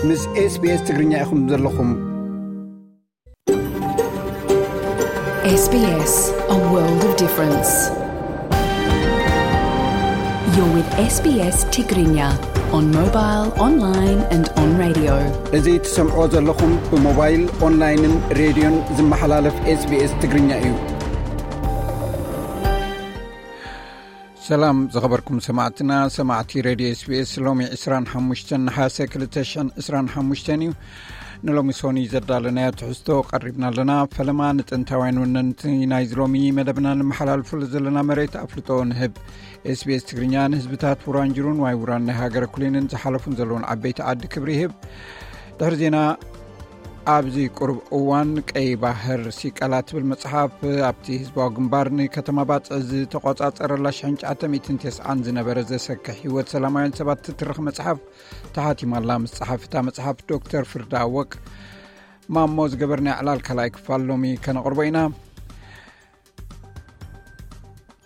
ምስ SBS ትግርኛ ኢኹም ዘለኹም። S B S, a world of difference. You're with S B S Tigrinya on mobile, online and on radio. እዚ ትሰምዕዎ ዘለኹም ብሞባይል፣ ኦንላይንን ሬድዮን ዝመሓላለፍ SBS ትግርኛ እዩ። ሰላም ዝኸበርኩም ሰማዕትና፣ ሰማዕቲ ሬድዮ SBS። ሎሚ ዕስራን ሓሙሽተን ነሓሰ ክልተ ሽሕን ዕስራን ሓሙሽተን እዩ። ንሎሚ ሶኒ ዘዳለናዮ ትሕዝቶ ቀሪብና ኣለና። ፈለማ ንጥንታውያን ወነንቲ ናይዚ ሎሚ መደብና ንመሓላልፈሉ ዘለና መሬት ኣፍልጦ ንህብ። SBS ትግርኛ ንህዝብታት ውራንጅሩን ዋይ ውራን ናይ ሃገረ ኩሊንን ዝሓለፉን ዘለውን ዓበይቲ ዓዲ ክብሪ ይህብ። ድሕሪ ዜና፣ ኣብዚ ቁሩብ እዋን ቀይ ባህር ሲቀላ ትብል መጽሓፍ ኣብቲ ህዝባዊ ግንባር ንከተማ ባጽዕ ዝተቆጻጸረላ ሽሕን ትሽዓተ ሚእትን ተስዓን ዝነበረ ዘሰክሕ ህይወት ሰላማውያን ሰባት ትትርኽ መጽሓፍ ተሓቲማላ። ምስ ጸሓፊ እታ መጽሓፍ ዶክተር ፍርዳ ኣወቅ ማሞ ዝገበርናዮ ዕላል ካልኣይ ክፋል ሎሚ ከነቕርቦ ኢና።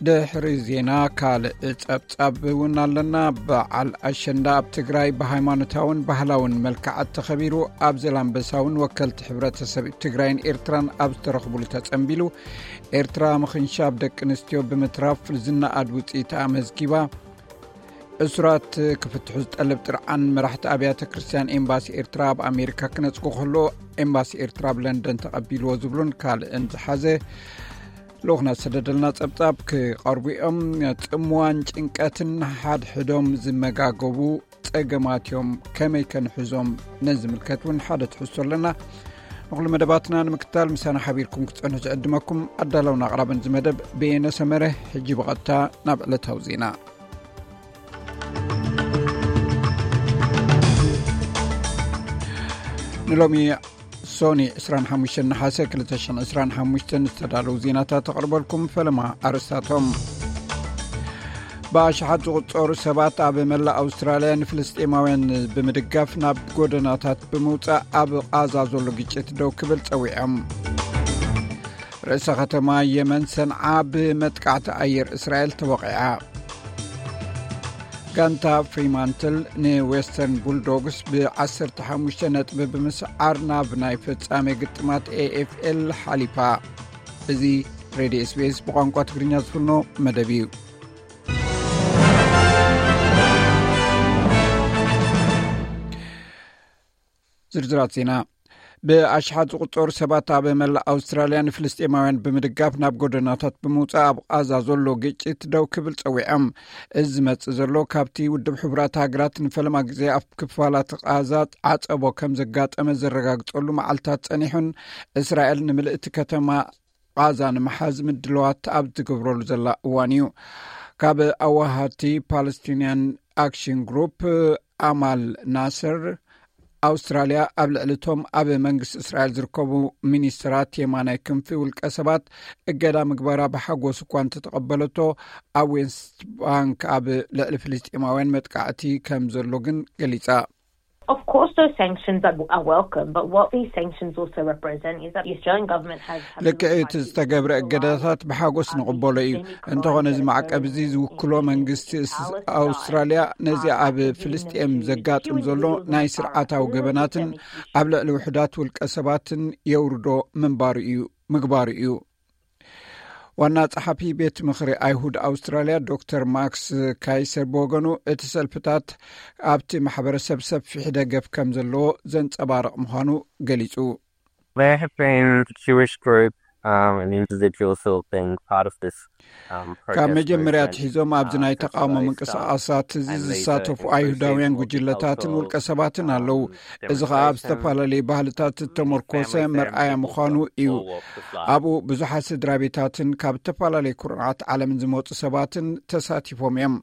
ድሕሪ ዜና ካልእ ጸብጻብ እውን ኣለና። በዓል ኣሸንዳ ኣብ ትግራይ ብሃይማኖታውን ባህላውን መልክዓት ተኸቢሩ። ኣብ ዘላንበሳ እውን ወከልቲ ሕብረተሰብ ትግራይን ኤርትራን ኣብ ዝተረኽቡሉ ተጸንቢሉ። ኤርትራ ምኽንሻብ ደቂ ኣንስትዮ ብምትራፍ ዝነኣድ ውጽኢት ኣመዝጊባ። እሱራት ክፍትሑ ዝጠልብ ጥርዓን መራሕቲ ኣብያተ ክርስቲያን ኤምባሲ ኤርትራ ኣብ ኣሜሪካ ክነጽጉ ከሎ ኤምባሲ ኤርትራ ኣብ ለንደን ተቐቢልዎ ዝብሉን ካልእን ዝሓዘ ልኡኽና ዝሰደደልና ጸብጻብ ክቐርቡ እዮም። ጽምዋን ጭንቀትን ሓድሕዶም ዝመጋገቡ ጸገማት እዮም። ከመይ ከንሕዞም? ነዚ ዝምልከት እውን ሓደ ትሕዝቶ ኣለና። ንኹሉ መደባትና ንምክታል ምሳና ሓቢርኩም ክትጸንሑ ዝዕድመኩም ኣዳላውን ኣቕራብን እዚ መደብ በየነ ሰመረ። ሕጂ ብቐጥታ ናብ ዕለታዊ ዜና። ንሎሚ ሶኒ ዕስራን ሓሙሽተን ነሓሰ ክልተ ሽሕን ዕስራን ሓሙሽተን ዝተዳለዉ ዜናታት ተቕርበልኩም። ፈለማ ኣርእስታቶም። ብኣሽሓት ዝቑጸሩ ሰባት ኣብ መላእ ኣውስትራልያ ንፍልስጤማውያን ብምድጋፍ ናብ ጎደናታት ብምውጻእ ኣብ ቓዛ ዘሎ ግጭት ደው ክብል ጸዊዖም። ርእሰ ከተማ የመን ሰንዓ ብመጥቃዕቲ ኣየር እስራኤል ተወቒዓ። ጋንታ ፍሪማንትል ንዌስተርን ቡልዶግስ ብዓሰርተ ሓሙሽተ ነጥቢ ብምስዓር ናብ ናይ ፍጻሜ ግጥማት ኤ ኤፍ ኤል ሓሊፋ። እዚ ሬድዮ ኤስ ቢ ኤስ ብቋንቋ ትግርኛ ዝፍኖ መደብ እዩ። ዝርዝራት ዜና። ብኣሽሓት ዝቑጸሩ ሰባት ኣብ መላእ ኣውስትራልያ ንፍልስጤማውያን ብምድጋፍ ናብ ጎደናታት ብምውጻእ ኣብ ቓዛ ዘሎ ግጭት ደው ክብል ጸዊዖም። እዚ ዝመጽእ ዘሎ ካብቲ ውድብ ሕቡራት ሃገራት ንፈለማ ግዜ ኣብ ክፋላት ቓዛ ዓጸቦ ከም ዘጋጠመ ዘረጋግጸሉ መዓልታት ጸኒሑን እስራኤል ንምልእቲ ከተማ ቓዛ ንምሓዝ ምድለዋት ኣብ ትገብረሉ ዘላ እዋን እዩ። ካብ ኣዋሃድቲ ፓለስቲንያን ኣክሽን ግሩፕ ኣማል ናስር፣ ኣውስትራልያ ኣብ ልዕሊ እቶም ኣብ መንግስቲ እስራኤል ዝርከቡ ሚኒስትራት የማናይ ክንፊ ውልቀ ሰባት እገዳ ምግባራ ብሓጎስ እኳ እንተተቐበለቶ፣ ኣብ ዌስት ባንክ ኣብ ልዕሊ ፍልስጤማውያን መጥቃዕቲ ከም ዘሎ ግን ገሊጻ። Of course, those sanctions are, are welcome, but what these sanctions also represent is that the Australian government has, has ልክዕ እቲ ዝተገብረ እገዳታት ብሓጎስ ንቕበሎ እዩ። እንተኾነ እዚ ማዕቀብ እዚ ዝውክሎ መንግስቲ ኣውስትራልያ ነዚ ኣብ ፍልስጤም ዘጋጥም ዘሎ ናይ ስርዓታዊ ገበናትን ኣብ ልዕሊ ውሕዳት ውልቀ ሰባትን የውርዶ ምንባሩ እዩ ምግባሩ እዩ። ዋና ጸሓፊ ቤት ምኽሪ ኣይሁድ ኣውስትራልያ ዶክተር ማክስ ካይሰር ብወገኑ፣ እቲ ሰልፍታት ኣብቲ ማሕበረሰብ ሰፊሕ ደገፍ ከም ዘለዎ ዘንጸባርቕ ምዃኑ ገሊጹ። There have been Jewish groups um, and individuals who have been part of this. ካብ መጀመርያ ኣትሒዞም ኣብዚ ናይ ተቃውሞ ምንቅስቃሳት እዚ ዝሳተፉ ኣይሁዳውያን ጉጅለታትን ውልቀ ሰባትን ኣለዉ። እዚ ኸኣ ኣብ ዝተፈላለዩ ባህልታት ዝተመርኮሰ መርኣያ ምዃኑ እዩ። ኣብኡ ብዙሓት ስድራ ቤታትን ካብ ዝተፈላለዩ ኩርናዓት ዓለምን ዝመፁ ሰባትን ተሳቲፎም እዮም።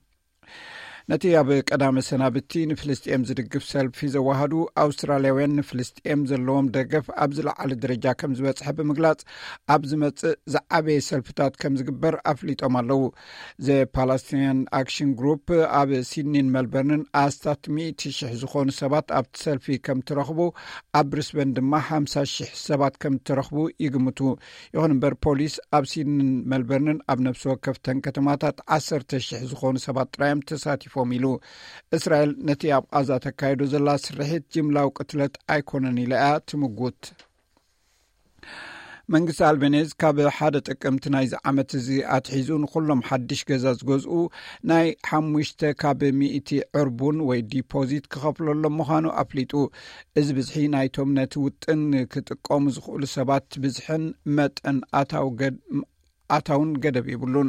ነቲ ኣብ ቀዳመ ሰናብቲ ንፍልስጤም ዝድግፍ ሰልፊ ዘዋሃዱ ኣውስትራልያውያን ንፍልስጤም ዘለዎም ደገፍ ኣብ ዝለዓለ ደረጃ ከም ዝበፅሐ ብምግላፅ፣ ኣብ ዝመፅእ ዝዓበየ ሰልፍታት ከም ዝግበር ኣፍሊጦም ኣለዉ። ዘ ፓላስቲንያን ኣክሽን ግሩፕ ኣብ ሲድኒን መልበርንን ኣስታት ሚእቲ ሽሕ ዝኾኑ ሰባት ኣብቲ ሰልፊ ከም ትረኽቡ፣ ኣብ ብሪስበን ድማ ሓምሳ ሽሕ ሰባት ከም ትረኽቡ ይግምቱ። ይኹን እምበር ፖሊስ ኣብ ሲድኒን መልበርንን ኣብ ነፍሲ ወከፍተን ከተማታት ዓሰርተ ሽሕ ዝኾኑ ሰባት ጥራዮም ተሳቲፎም። ኣይተሳትፎም ኢሉ። እስራኤል ነቲ ኣብ ቓዛ ተካይዶ ዘላ ስርሒት ጅምላዊ ቅትለት ኣይኮነን ኢላ እያ ትምጉት። መንግስቲ ኣልቤኔዝ ካብ ሓደ ጥቅምቲ ናይዚ ዓመት እዚ ኣትሒዙ ንኩሎም ሓድሽ ገዛ ዝገዝኡ ናይ ሓሙሽተ ካብ ሚእቲ ዕርቡን ወይ ዲፖዚት ክኸፍለሎም ምዃኑ ኣፍሊጡ። እዚ ብዝሒ ናይቶም ነቲ ውጥን ክጥቀሙ ዝኽእሉ ሰባት ብዝሕን መጠን ኣታው ገድ ኣታውን ገደብ የብሉን።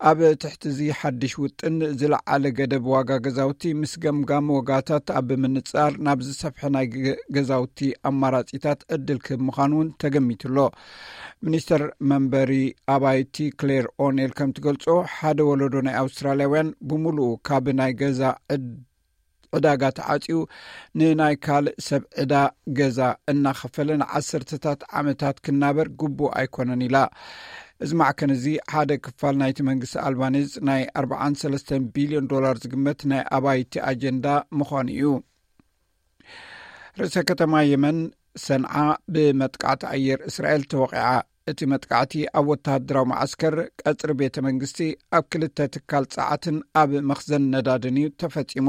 ኣብ ትሕቲ እዚ ሓድሽ ውጥን ዝለዓለ ገደብ ዋጋ ገዛውቲ ምስ ገምጋም ዋጋታት ኣብ ምንጻር ናብ ዝሰፍሐ ናይ ገ- ገዛውቲ ኣማራጺታት ዕድል ክህብ ምዃኑ እውን ተገሚቱ ኣሎ። ሚኒስተር መንበሪ ኣባይቲ ክሌር ኦኔል ከም ትገልጾ፣ ሓደ ወለዶ ናይ ኣውስትራልያውያን ብምሉኡ ካብ ናይ ገዛ ዕድ ዕዳጋ ተዓጽዩ ንናይ ካልእ ሰብ ዕዳ ገዛ እናኸፈለ ንዓሰርተታት ዓመታት ክናበር ግቡእ ኣይኮነን ኢላ። እዚ ማዕከን እዚ ሓደ ክፋል ናይቲ መንግስቲ ኣልባኔዝ ናይ ኣርባዓን ሰለስተን ቢልዮን ዶላር ዝግመት ናይ ኣባይቲ ኣጀንዳ ምዃኑ እዩ። ርእሰ ከተማ የመን ሰንዓ ብመጥቃዕቲ ኣየር እስራኤል ተወቂዓ። እቲ መጥቃዕቲ ኣብ ወተሃደራዊ መዓስከር፣ ቀጽሪ ቤተ መንግስቲ፣ ኣብ ክልተ ትካል ጸዓትን ኣብ መኽዘን ነዳድን እዩ ተፈጺሙ።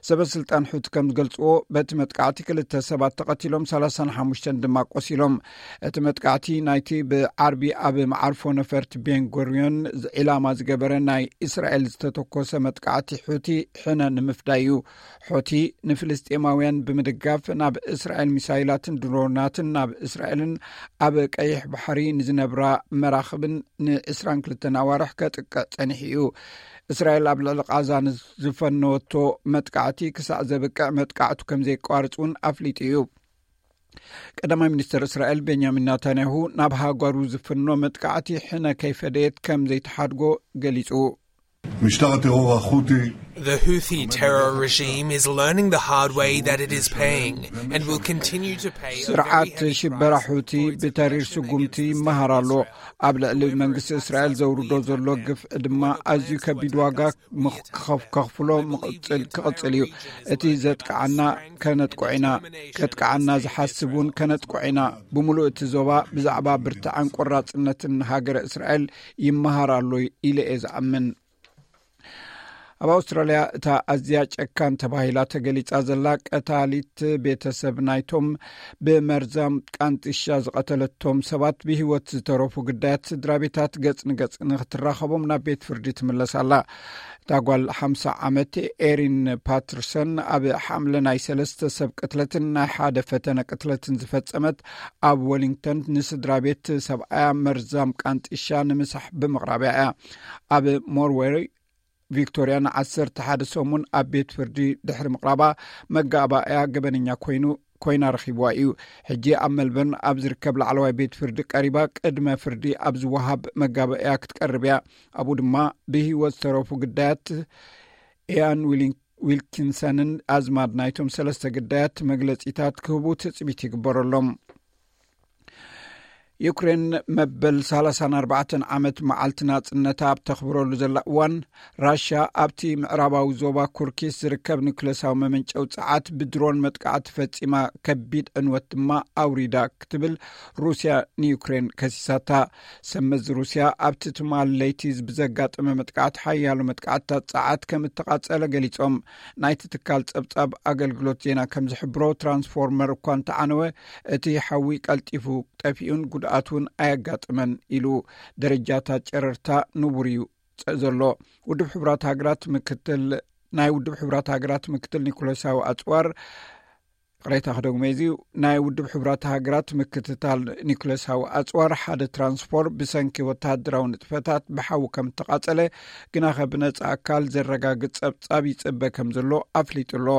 ሰበ ስልጣን ሑቲ ከም ዝገልጽዎ፣ በቲ መጥቃዕቲ ክልተ ሰባት ተቐቲሎም፣ ሰላሳን ሓሙሽተን ድማ ቆሲሎም። እቲ መጥቃዕቲ ናይቲ ብዓርቢ ኣብ መዓርፎ ነፈርቲ ቤንጎሪዮን ዒላማ ዝገበረ ናይ እስራኤል ዝተተኮሰ መጥቃዕቲ ሑቲ ሕነ ንምፍዳይ እዩ። ሑቲ ንፍልስጤማውያን ብምድጋፍ ናብ እስራኤል ሚሳይላትን ድሮናትን ናብ እስራኤልን ኣብ ቀይሕ ባሕሪ ንዝነብራ መራኽብን ንዕስራን ክልተን ኣዋርሕ ከጥቅዕ ጸኒሑ እዩ። እስራኤል ኣብ ልዕሊ ቓዛ ንዝፈነወቶ መጥቃዕቲ ክሳዕ ዘብቅዕ መጥቃዕቱ ከም ዘየቋርጽ እውን ኣፍሊጡ እዩ። ቀዳማይ ሚኒስተር እስራኤል ቤንያሚን ናታንያሁ ናብ ሃገሩ ዝፍኖ መጥቃዕቲ ሕነ ከይፈደየት ከም ዘይተሓድጎ ገሊጹ። משטר הטרור החותי The Houthi terror regime is learning the hard way that it is paying and will continue to pay a very ስርዓት heavy ሽበራ price ሑቲ for its ብተሪር aggression ስጉምቲ against ይመሃር ኣሎ። Israel. ኣብ ልዕሊ መንግስቲ እስራኤል ዘውርዶ ዘሎ ግፍዒ ድማ ኣዝዩ ከቢድ ዋጋ ምኽ- ክኸፍ- ከኽፍሎ ምቕጽል ክቕጽል እዩ። እቲ ዘጥቃዓና ከነጥቅዖ ኢና። ከጥቃዓና ዝሓስብ እውን ከነጥቅዖ ኢና። ብምሉእ እቲ ዞባ ብዛዕባ ብርትዐን ቆራጽነትን ሃገረ እስራኤል ይመሃር ኣሎ ኢለ እየ ዝኣምን። ኣብ ኣውስትራልያ እታ ኣዝያ ጨካን ተባሂላ ተገሊጻ ዘላ ቀታሊት ቤተሰብ ናይቶም ብመርዛም ቃንጢሻ ዝቐተለቶም ሰባት ብህይወት ዝተረፉ ግዳያት ስድራ ቤታት ገጽ ንገጽ ንክትራኸቦም ናብ ቤት ፍርዲ ትምለስ ኣላ። እታ ጓል ሓምሳ ዓመት ኤሪን ፓተርሰን ኣብ ሓምለ ናይ ሰለስተ ሰብ ቅትለትን ናይ ሓደ ፈተነ ቅትለትን ዝፈጸመት ኣብ ወሊንግተን ንስድራ ቤት ሰብኣያ መርዛም ቃንጢሻ ንምሳሕ ብምቕራብያ እያ። ኣብ ሞርወሪ ቪክቶርያ ንዓሰርተ ሓደ ሰሙን ኣብ ቤት ፍርዲ ድሕሪ ምቕራባ መጋባእያ ገበነኛ ኮይኑ ኮይና ረኺብዋ እዩ። ሕጂ ኣብ መልበርን ኣብ ዝርከብ ላዕለዋይ ቤት ፍርዲ ቀሪባ ቅድመ ፍርዲ ኣብ ዝወሃብ መጋባእያ ክትቀርብ እያ። ኣብኡ ድማ ብህይወት ዝተረፉ ግዳያት ኢያን ዊሊን- ዊልኪንሰንን ኣዝማድ ናይቶም ሰለስተ ግዳያት መግለጺታት ክህቡ ትጽቢት ይግበረሎም። ዩክሬን መበል ሰላሳን ኣርባዕተን ዓመት መዓልቲ ናጽነታ ኣብ ተኽብረሉ ዘላ እዋን፣ ራሽያ ኣብቲ ምዕራባዊ ዞባ ኩርኪስ ዝርከብ ኒኩሌሳዊ መመንጨዊ ጸዓት ብድሮን መጥቃዕቲ ፈጺማ፣ ከቢድ ዕንወት ድማ ኣውሪዳ ክትብል ሩስያ ንዩክሬን ከሲሳታ። ሰመዚ ሩስያ ኣብቲ ትማል ለይቲ ብዘጋጠመ መጥቃዕቲ ሓያሎ መጥቃዕትታት ጸዓት ከም እተቓጸለ ገሊጾም። ናይቲ ትካል ጸብጻብ ኣገልግሎት ዜና ከም ዝሕብሮ፣ ትራንስፎርመር እኳ እንተዓነወ፣ እቲ ሓዊ ቀልጢፉ ጠፊኡን ጉድኣት እውን ኣየጋጥመን ኢሉ። ደረጃታት ጨረርታ ንቡር እዩ ጸ- ዘሎ። ውድብ ሕቡራት ሃገራት ምክትል ናይ ውድብ ሕቡራት ሃገራት ምክትል ኒኮላሳዊ ኣጽዋር ቅሬታ ክደግሞ እዚ ናይ ውድብ ሕቡራት ሃገራት ምክትታል ኒኮላሳዊ ኣጽዋር ሓደ ትራንስፖር ብሰንኪ ወተሃደራዊ ንጥፈታት ብሓዊ ከም እተቓጸለ ግናኸ ብነጻ ኣካል ዘረጋግጽ ጸብጻብ ይጽበ ከም ዘሎ ኣፍሊጡ ኣሎ።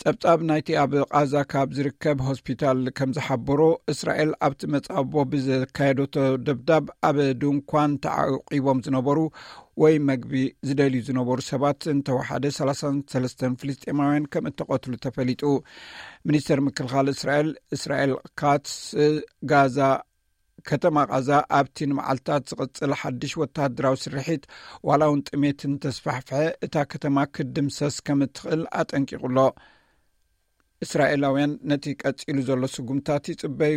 ጸብጻብ ናይቲ ኣብ ቓዛ ካብ ዝርከብ ሆስፒታል ከም ዝሓበሮ፣ እስራኤል ኣብቲ መጻቦ ብዘካየደቶ ደብዳብ ኣብ ድንኳን ተዓቂቦም ዝነበሩ ወይ መግቢ ዝደልዩ ዝነበሩ ሰባት እንተወሓደ ሰላሳን ሰለስተን ፍልስጤማውያን ከም እተቐትሉ ተፈሊጡ። ሚኒስተር ምክልኻል እስራኤል እስራኤል ካትስ፣ ጋዛ ከተማ ቓዛ ኣብቲ ንመዓልታት ዝቕጽል ሓድሽ ወተሃደራዊ ስርሒት ዋላ እውን ጥሜት እንተስፋሕፍሐ እታ ከተማ ክትድምሰስ ከም እትኽእል ኣጠንቂቑ ኣሎ። እስራኤላውያን ነቲ ቀጺሉ ዘሎ ስጉምታት ይጽበዩ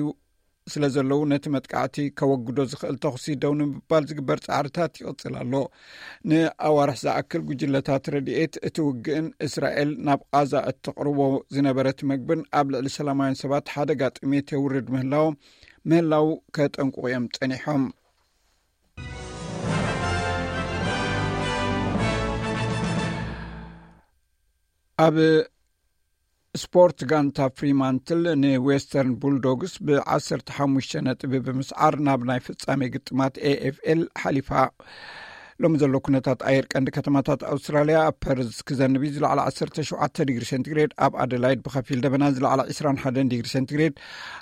ስለ ዘለዉ፣ ነቲ መጥቃዕቲ ከወግዶ ዝኽእል ተኹሲ ደው ንምባል ዝግበር ጻዕርታት ይቕጽል ኣሎ። ንኣዋርሕ ዝኣክል ጉጅለታት ረድኤት እቲ ውግእን እስራኤል ናብ ቓዛ እተቕርቦ ዝነበረት መግብን ኣብ ልዕሊ ሰላማውያን ሰባት ሓደጋ ጥሜት የውርድ ምህላው ምህላው ከጠንቅቑ እዮም ጸኒሖም። ኣብ ስፖርት፣ ጋንታ ፍሪማንትል ንዌስተርን ቡልዶግስ ብ15 ነጥቢ ብምስዓር ናብ ናይ ፍጻሜ ግጥማት ኤኤፍኤል ሓሊፋ። ሎሚ ዘሎ ኩነታት ኣየር ቀንዲ ከተማታት ኣውስትራልያ፣ ኣብ ፐርዝ ክዘንብ እዩ፣ ዝለዓለ 17 ዲግሪ ሴንቲግሬድ፣ ኣብ ኣደላይድ ብኸፊል ደበና፣ ዝለዓለ 21 ዲግሪ ሴንቲግሬድ፣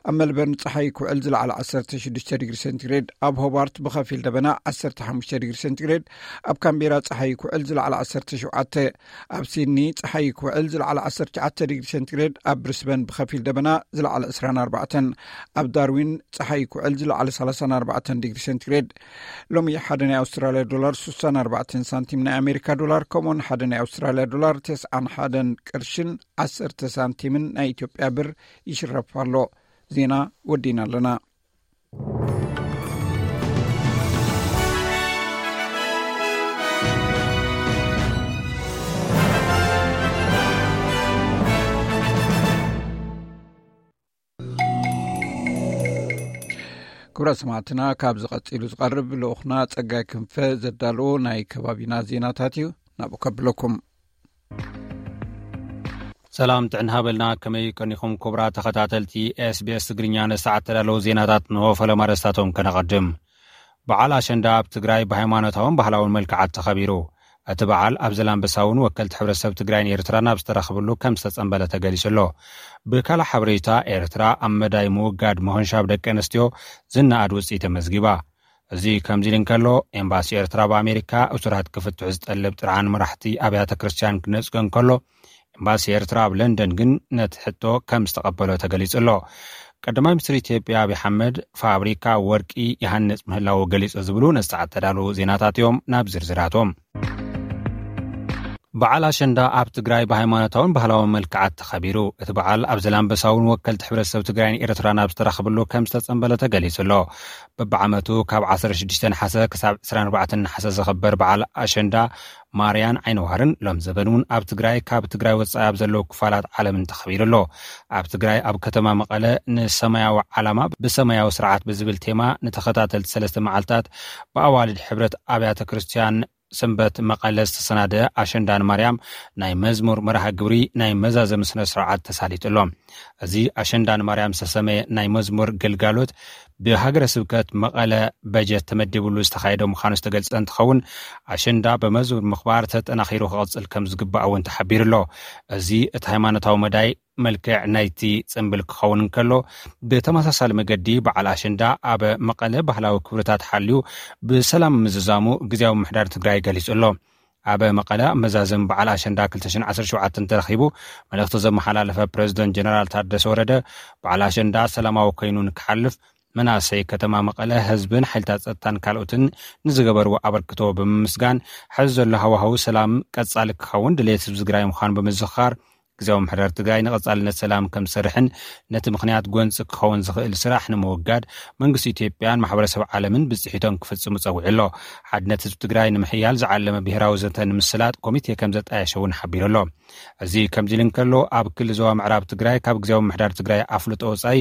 ኣብ መልበርን ጸሓይ ክውዕል፣ ዝለዓለ 16 ዲግሪ ሴንቲግሬድ፣ ኣብ ሆባርት ብኸፊል ደበና፣ 15 ዲግሪ ሴንቲግሬድ፣ ኣብ ካምቤራ ጸሓይ ክውዕል፣ ዝለዓለ 17፣ ኣብ ሲድኒ ጸሓይ ክውዕል፣ ዝለዓለ 19 ዲግሪ ሴንቲግሬድ፣ ኣብ ብሪስበን ብኸፊል ደበና፣ ዝለዓለ 24፣ ኣብ ዳርዊን ጸሓይ ክውዕል፣ ዝለዓለ 34 ዲግሪ ሴንቲግሬድ። ሎሚ ሓደ ናይ ኣውስትራልያ ዶላር 64 ሳንቲም ናይ ኣሜሪካ ዶላር፣ ከምኡውን ሓደ ናይ ኣውስትራልያ ዶላር 91 ቅርሽን 10 ሳንቲምን ናይ ኢትዮጵያ ብር ይሽረፍ ኣሎ። ዜና ወዲና ኣለና። ክቡራት ሰማዕትና፣ ካብ ዝቐጺሉ ዝቐርብ ልኡኽና ጸጋይ ክንፈ ዘዳለዎ ናይ ከባቢና ዜናታት እዩ። ናብኡ ከብለኩም። ሰላም ጥዕና ሃበልና፣ ከመይ ቀኒኹም ክቡራት ተኸታተልቲ ኤስቢኤስ ትግርኛ? ንሰዓት ተዳለዉ ዜናታት ንሆ ፈለማ ኣርእስታቶም ከነቐድም። በዓል ኣሸንዳ ኣብ ትግራይ ብሃይማኖታውን ባህላውን መልክዓት ተኸቢሩ። እቲ በዓል ኣብ ዘላንበሳ እውን ወከልቲ ሕብረተሰብ ትግራይን ኤርትራን ኣብ ዝተረኽብሉ ከም ዝተጸንበለ ተገሊጹ ኣሎ። ብካልእ ሓበሬታ፣ ኤርትራ ኣብ መዳይ ምውጋድ ምኹንሻብ ደቂ ኣንስትዮ ዝነኣድ ውጽኢት ተመዝጊባ። እዚ ከምዚ ኢሉ እንከሎ፣ ኤምባሲ ኤርትራ ኣብ ኣሜሪካ እሱራት ክፍትሑ ዝጠልብ ጥርዓን መራሕቲ ኣብያተ ክርስቲያን ክነጽጎ እንከሎ፣ ኤምባሲ ኤርትራ ኣብ ለንደን ግን ነቲ ሕቶ ከም ዝተቐበሎ ተገሊጹ ኣሎ። ቀዳማይ ሚኒስትር ኢትዮጵያ ኣብይ ኣሕመድ ፋብሪካ ወርቂ ይሃንጽ ምህላዉ ገሊጹ ዝብሉ ነዚ ሰዓት ተዳለዉ ዜናታት እዮም። ናብ ዝርዝራቶም። በዓል ኣሸንዳ ኣብ ትግራይ ብሃይማኖታውን ባህላውን መልክዓት ተኸቢሩ። እቲ በዓል ኣብ ዘላንበሳ እውን ወከልቲ ሕብረተሰብ ትግራይን ኤርትራን ኣብ ዝተረኽብሉ ከም ዝተጸንበለ ተገሊጹ ኣሎ። በብዓመቱ ካብ 16 ነሓሰ ክሳብ 24 ነሓሰ ዝኽበር በዓል ኣሸንዳ ማርያን ዓይነዋርን ሎም ዘበን እውን ኣብ ትግራይ ካብ ትግራይ ወጻኢ ኣብ ዘለዉ ክፋላት ዓለምን ተኸቢሩ ኣሎ። ኣብ ትግራይ ኣብ ከተማ መቐለ ንሰማያዊ ዓላማ ብሰማያዊ ስርዓት ብዝብል ቴማ ንተኸታተልቲ ሰለስተ መዓልታት ብኣዋልድ ሕብረት ኣብያተ ክርስቲያን ሰንበት መቐለ ዝተሰናደ ኣሸንዳ ንማርያም ናይ መዝሙር መርሃ ግብሪ ናይ መዛዘሚ ስነ ስርዓት ተሳሊጡ ኣሎ። እዚ ኣሸንዳ ንማርያም ዝተሰመየ ናይ መዝሙር ግልጋሎት ብሃገረ ስብከት መቐለ በጀት ተመዲብሉ ዝተኻየደ ምዃኑ ዝተገልጸ እንትኸውን፣ ኣሸንዳ ብመዝሙር ምኽባር ተጠናኺሩ ክቕጽል ከም ዝግባእ እውን ተሓቢሩ ኣሎ። እዚ እቲ ሃይማኖታዊ መዳይ መልክዕ ናይቲ ጽምብል ክኸውን እንከሎ፣ ብተመሳሳሊ መገዲ በዓል ኣሸንዳ ኣብ መቐለ ባህላዊ ክብርታት ሓልዩ ብሰላም ምዝዛሙ ግዝያዊ ምምሕዳር ትግራይ ገሊጹ ኣሎ። ኣብ መቐለ ኣብ መዛዘም በዓል ኣሸንዳ 2017 ተረኺቡ መልእኽቲ ዘመሓላለፈ ፕሬዝደንት ጀነራል ታደሰ ወረደ፣ በዓል ኣሸንዳ ሰላማዊ ኮይኑ ንክሓልፍ መናእሰይ ከተማ መቐለ፣ ህዝብን ሓይልታት ጸጥታን ካልኦትን ንዝገበርዎ ኣበርክቶ ብምምስጋን፣ ሕዚ ዘሎ ሃዋህው ሰላም ቀጻሊ ክኸውን ድሌት ህዝቢ ትግራይ ምዃኑ ብምዝኽኻር፣ ግዝያዊ ምምሕዳር ትግራይ ንቐጻልነት ሰላም ከም ዝሰርሕን ነቲ ምኽንያት ጎንጺ ክኸውን ዝኽእል ስራሕ ንምውጋድ መንግስቲ ኢትዮጵያን ማሕበረሰብ ዓለምን ብጽሒቶም ክፍጽሙ ጸዊዑ ኣሎ። ሓድነት ህዝቢ ትግራይ ንምሕያል ዝዓለመ ብሄራዊ ዘተ ንምስላጥ ኮሚቴ ከም ዘጣየሸ እውን ሓቢሩ ኣሎ። እዚ ከምዚ ኢሉ እንከሎ፣ ኣብ ክሊ ዞባ ምዕራብ ትግራይ ካብ ግዝያዊ ምምሕዳር ትግራይ ኣፍልጦ ወጻኢ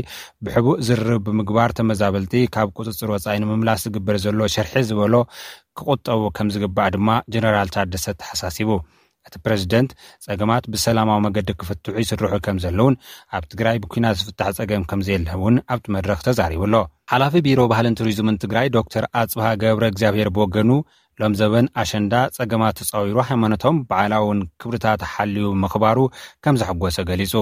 ብሕቡእ ዝርርብ ብምግባር ተመዛበልቲ ካብ ቁጽጽር ወጻኢ ንምምላስ ዝግበር ዘሎ ሽርሒ ዝበሎ ክቑጠቡ ከም ዝግባእ ድማ ጀነራል ታደሰ ተሓሳሲቡ። እቲ ፕረዚደንት፣ ጸገማት ብሰላማዊ መገዲ ክፍትሑ ይስርሑ ከም ዘለውን ኣብ ትግራይ ብኲናት ዝፍታሕ ጸገም ከም ዘየለ እውን ኣብቲ መድረኽ ተዛሪቡ ኣሎ። ሓላፊ ቢሮ ባህልን ቱሪዝምን ትግራይ ዶክተር ኣጽብሃ ገብረ እግዚኣብሔር ብወገኑ፣ ሎም ዘበን ኣሸንዳ ጸገማት ተጻዊሩ ሃይማኖታውን በዓላውን ክብርታት ሓልዩ ምኽባሩ ከም ዘሐጎሰ ገሊጹ።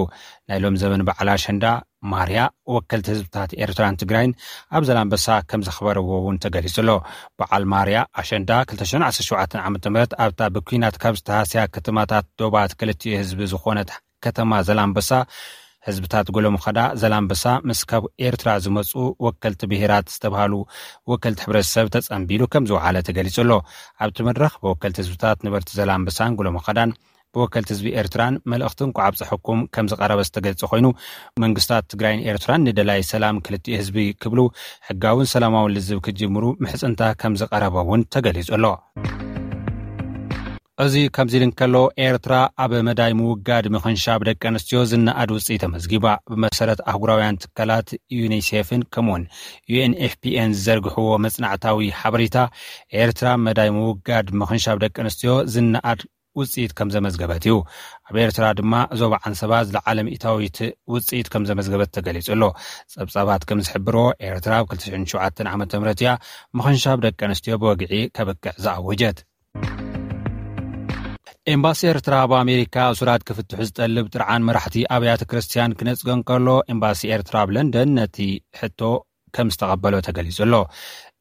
ናይ ሎም ዘበን በዓል ኣሸንዳ ማርያ ወከልቲ ህዝብታት ኤርትራን ትግራይን ኣብ ዘላንበሳ ከም ዘኽበርዎ እውን ተገሊጹ ኣሎ። በዓል ማርያ ኣሸንዳ 2017 ዓ.ም ኣብታ ብኲናት ካብ ዝተሃስያ ከተማታት ዶባት ክልቲኡ ህዝቢ ዝኾነት ከተማ ዘላንበሳ፣ ህዝብታት ጎለምኸዳ ዘላንበሳ ምስ ካብ ኤርትራ ዝመጹ ወከልቲ ብሄራት ዝተባህሉ ወከልቲ ሕብረተሰብ ተጸንቢሉ ከም ዝወዓለ ተገሊጹ ኣሎ። ኣብቲ መድረኽ ብወከልቲ ህዝብታት ነበርቲ ዘላንበሳን ጎለምኸዳን ብወከልቲ ህዝቢ ኤርትራን መልእኽቲ እንኳዕ ኣብፀሐኩም ከም ዝቐረበ ዝተገልጸ ኮይኑ፣ መንግስታት ትግራይን ኤርትራን ንደላይ ሰላም ክልቲኡ ህዝቢ ክብሉ ሕጋውን ሰላማውን ልዝብ ክጅምሩ ምሕፅንታ ከም ዝቐረበ እውን ተገሊጹ ኣሎ። እዚ ከምዚ ኢሉ እንከሎ፣ ኤርትራ ኣብ መዳይ ምውጋድ ምኽንሻብ ደቂ ኣንስትዮ ዝነኣድ ውፅኢት ተመዝጊባ። ብመሰረት ኣህጉራውያን ትካላት ዩኒሴፍን ከምኡውን ዩኤንኤፍፒኤን ዝዘርግሕዎ መጽናዕታዊ ሓበሬታ፣ ኤርትራ መዳይ ምውጋድ ምኽንሻብ ደቂ ኣንስትዮ ዝነኣድ ውፅኢት ከም ዘመዝገበት እዩ። ኣብ ኤርትራ ድማ ዞባ ዓንሰባ ዝለዓለ ሚእታዊት ውፅኢት ከም ዘመዝገበት ተገሊጹ ኣሎ። ጸብጻባት ከም ዝሕብሮ፣ ኤርትራ ኣብ ክልተ ሽሕን ሸውዓተን ዓመተ ምህረት እያ ምኽንሻብ ደቂ ኣንስትዮ ብወግዒ ከብቅዕ ዝኣወጀት። ኤምባሲ ኤርትራ ኣብ ኣሜሪካ እሱራት ክፍትሑ ዝጠልብ ጥርዓን መራሕቲ ኣብያተ ክርስቲያን ክነጽጎ እንከሎ፣ ኤምባሲ ኤርትራ ኣብ ለንደን ነቲ ሕቶ ከም ዝተቐበሎ ተገሊጹ ኣሎ።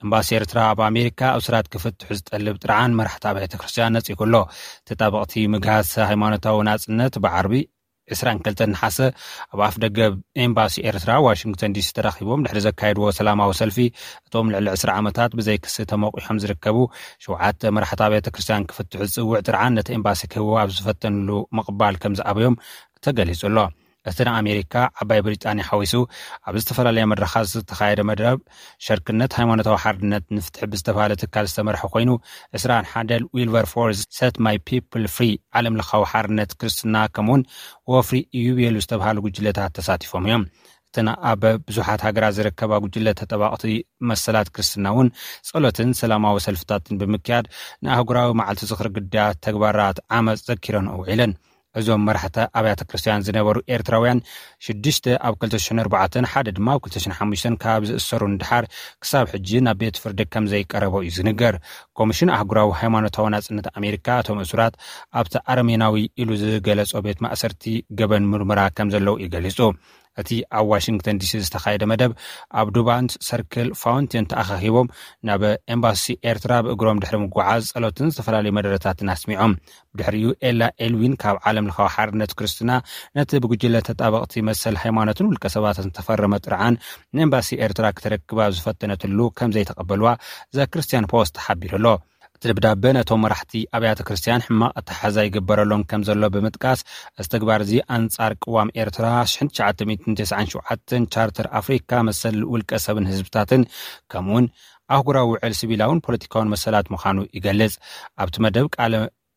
ኤምባሲ ኤርትራ ኣብ ኣሜሪካ እሱራት ክፍትሑ ዝጠልብ ጥርዓን መራሕቲ ኣብያተ ክርስቲያን ነጺጉ ኣሎ። ተጣበቕቲ ምግሃስ ሃይማኖታዊ ናጽነት ብዓርቢ ዕስራን ክልተን ነሓሰ ኣብ ኣፍ ደገ ኤምባሲ ኤርትራ ዋሽንግተን ዲሲ ተራኺቦም ድሕሪ ዘካየድዎ ሰላማዊ ሰልፊ፣ እቶም ልዕሊ ዕስራ ዓመታት ብዘይ ክሲ ተመቑሖም ዝርከቡ ሸውዓተ መራሕቲ ኣብያተ ክርስቲያን ክፍትሑ ዝጽውዕ ጥርዓን ነቲ ኤምባሲ ክህቦ ኣብ ዝፈተንሉ ምቕባል ከም ዝኣበዮም ተገሊጹ ኣሎ። እቲ ንኣሜሪካ፣ ዓባይ ብሪጣንያ ሓዊሱ ኣብ ዝተፈላለያ መድረኻት ዝተኻየደ መደብ፣ ሸርክነት ሃይማኖታዊ ሓርነት ንፍትሒ ብዝተባሃለ ትካል ዝተመርሐ ኮይኑ፣ ዕስራን ሓደን ዊልበርፎርስ ሰት ማይ ፒፕል ፍሪ ዓለም ለኻዊ ሓርነት ክርስትና ከምኡውን ወፍሪ ኢዩቤሉ ዝተባሃሉ ጉጅለታት ተሳቲፎም እዮም። እተን ኣብ ብዙሓት ሃገራት ዝርከባ ጉጅለ ተጠባቕቲ መሰላት ክርስትና እውን ጸሎትን ሰላማዊ ሰልፍታትን ብምክያድ ንኣህጉራዊ መዓልቲ ዝኽሪ ግዳያት ተግባራት ዓመፅ ዘኪረን ውዒለን። እዞም መራሕቲ ኣብያተ ክርስቲያን ዝነበሩ ኤርትራውያን ሽዱሽተ ኣብ ክልተ ሽሕን ኣርባዕተን ሓደ ድማ ኣብ ክልተ ሽሕን ሓሙሽተን ካብ ዝእሰሩ ንድሓር ክሳብ ሕጂ ናብ ቤት ፍርዲ ከም ዘይቀረቡ እዩ ዝንገር። ኮሚሽን ኣህጉራዊ ሃይማኖታዊ ናጽነት ኣሜሪካ እቶም እሱራት ኣብቲ ኣረሜናዊ ኢሉ ዝገለጾ ቤት ማእሰርቲ ገበን ምርመራ ከም ዘለዉ እዩ ገሊጹ። እቲ ኣብ ዋሽንግተን ዲሲ ዝተኻየደ መደብ ኣብ ዱባንት ሰርክል ፋውንቴን ተኣኻኺቦም ናብ ኤምባሲ ኤርትራ ብእግሮም ድሕሪ ምጉዓዝ ጸሎትን ዝተፈላለዩ መደረታትን ኣስሚዖም። ብድሕሪኡ ኤላ ኤልዊን ካብ ዓለም ለኻዊ ሓርነት ክርስትና ነቲ ብጉጅለ ተጣበቕቲ መሰል ሃይማኖትን ውልቀ ሰባትን ዝተፈረመ ጥርዓን ንኤምባሲ ኤርትራ ክተረክብ ኣብ ዝፈተነትሉ ከም ዘይተቐበልዋ ዘ ክርስቲያን ፖስት ሓቢሩ ኣሎ። እቲ ደብዳበ ነቶም መራሕቲ ኣብያተ ክርስቲያን ሕማቕ ኣተሓሕዛ ይግበረሎም ከም ዘሎ ብምጥቃስ፣ እዚ ተግባር እዚ ኣንጻር ቅዋም ኤርትራ ሽሕን ትሽዓተ ሚእትን ተስዓን ሸውዓተን ቻርተር ኣፍሪካ መሰል ውልቀ ሰብን ህዝብታትን ከምኡውን ኣህጉራዊ ውዕል ሲቪላውን ፖለቲካውን መሰላት ምዃኑ ይገልጽ። ኣብቲ መደብ ቃለ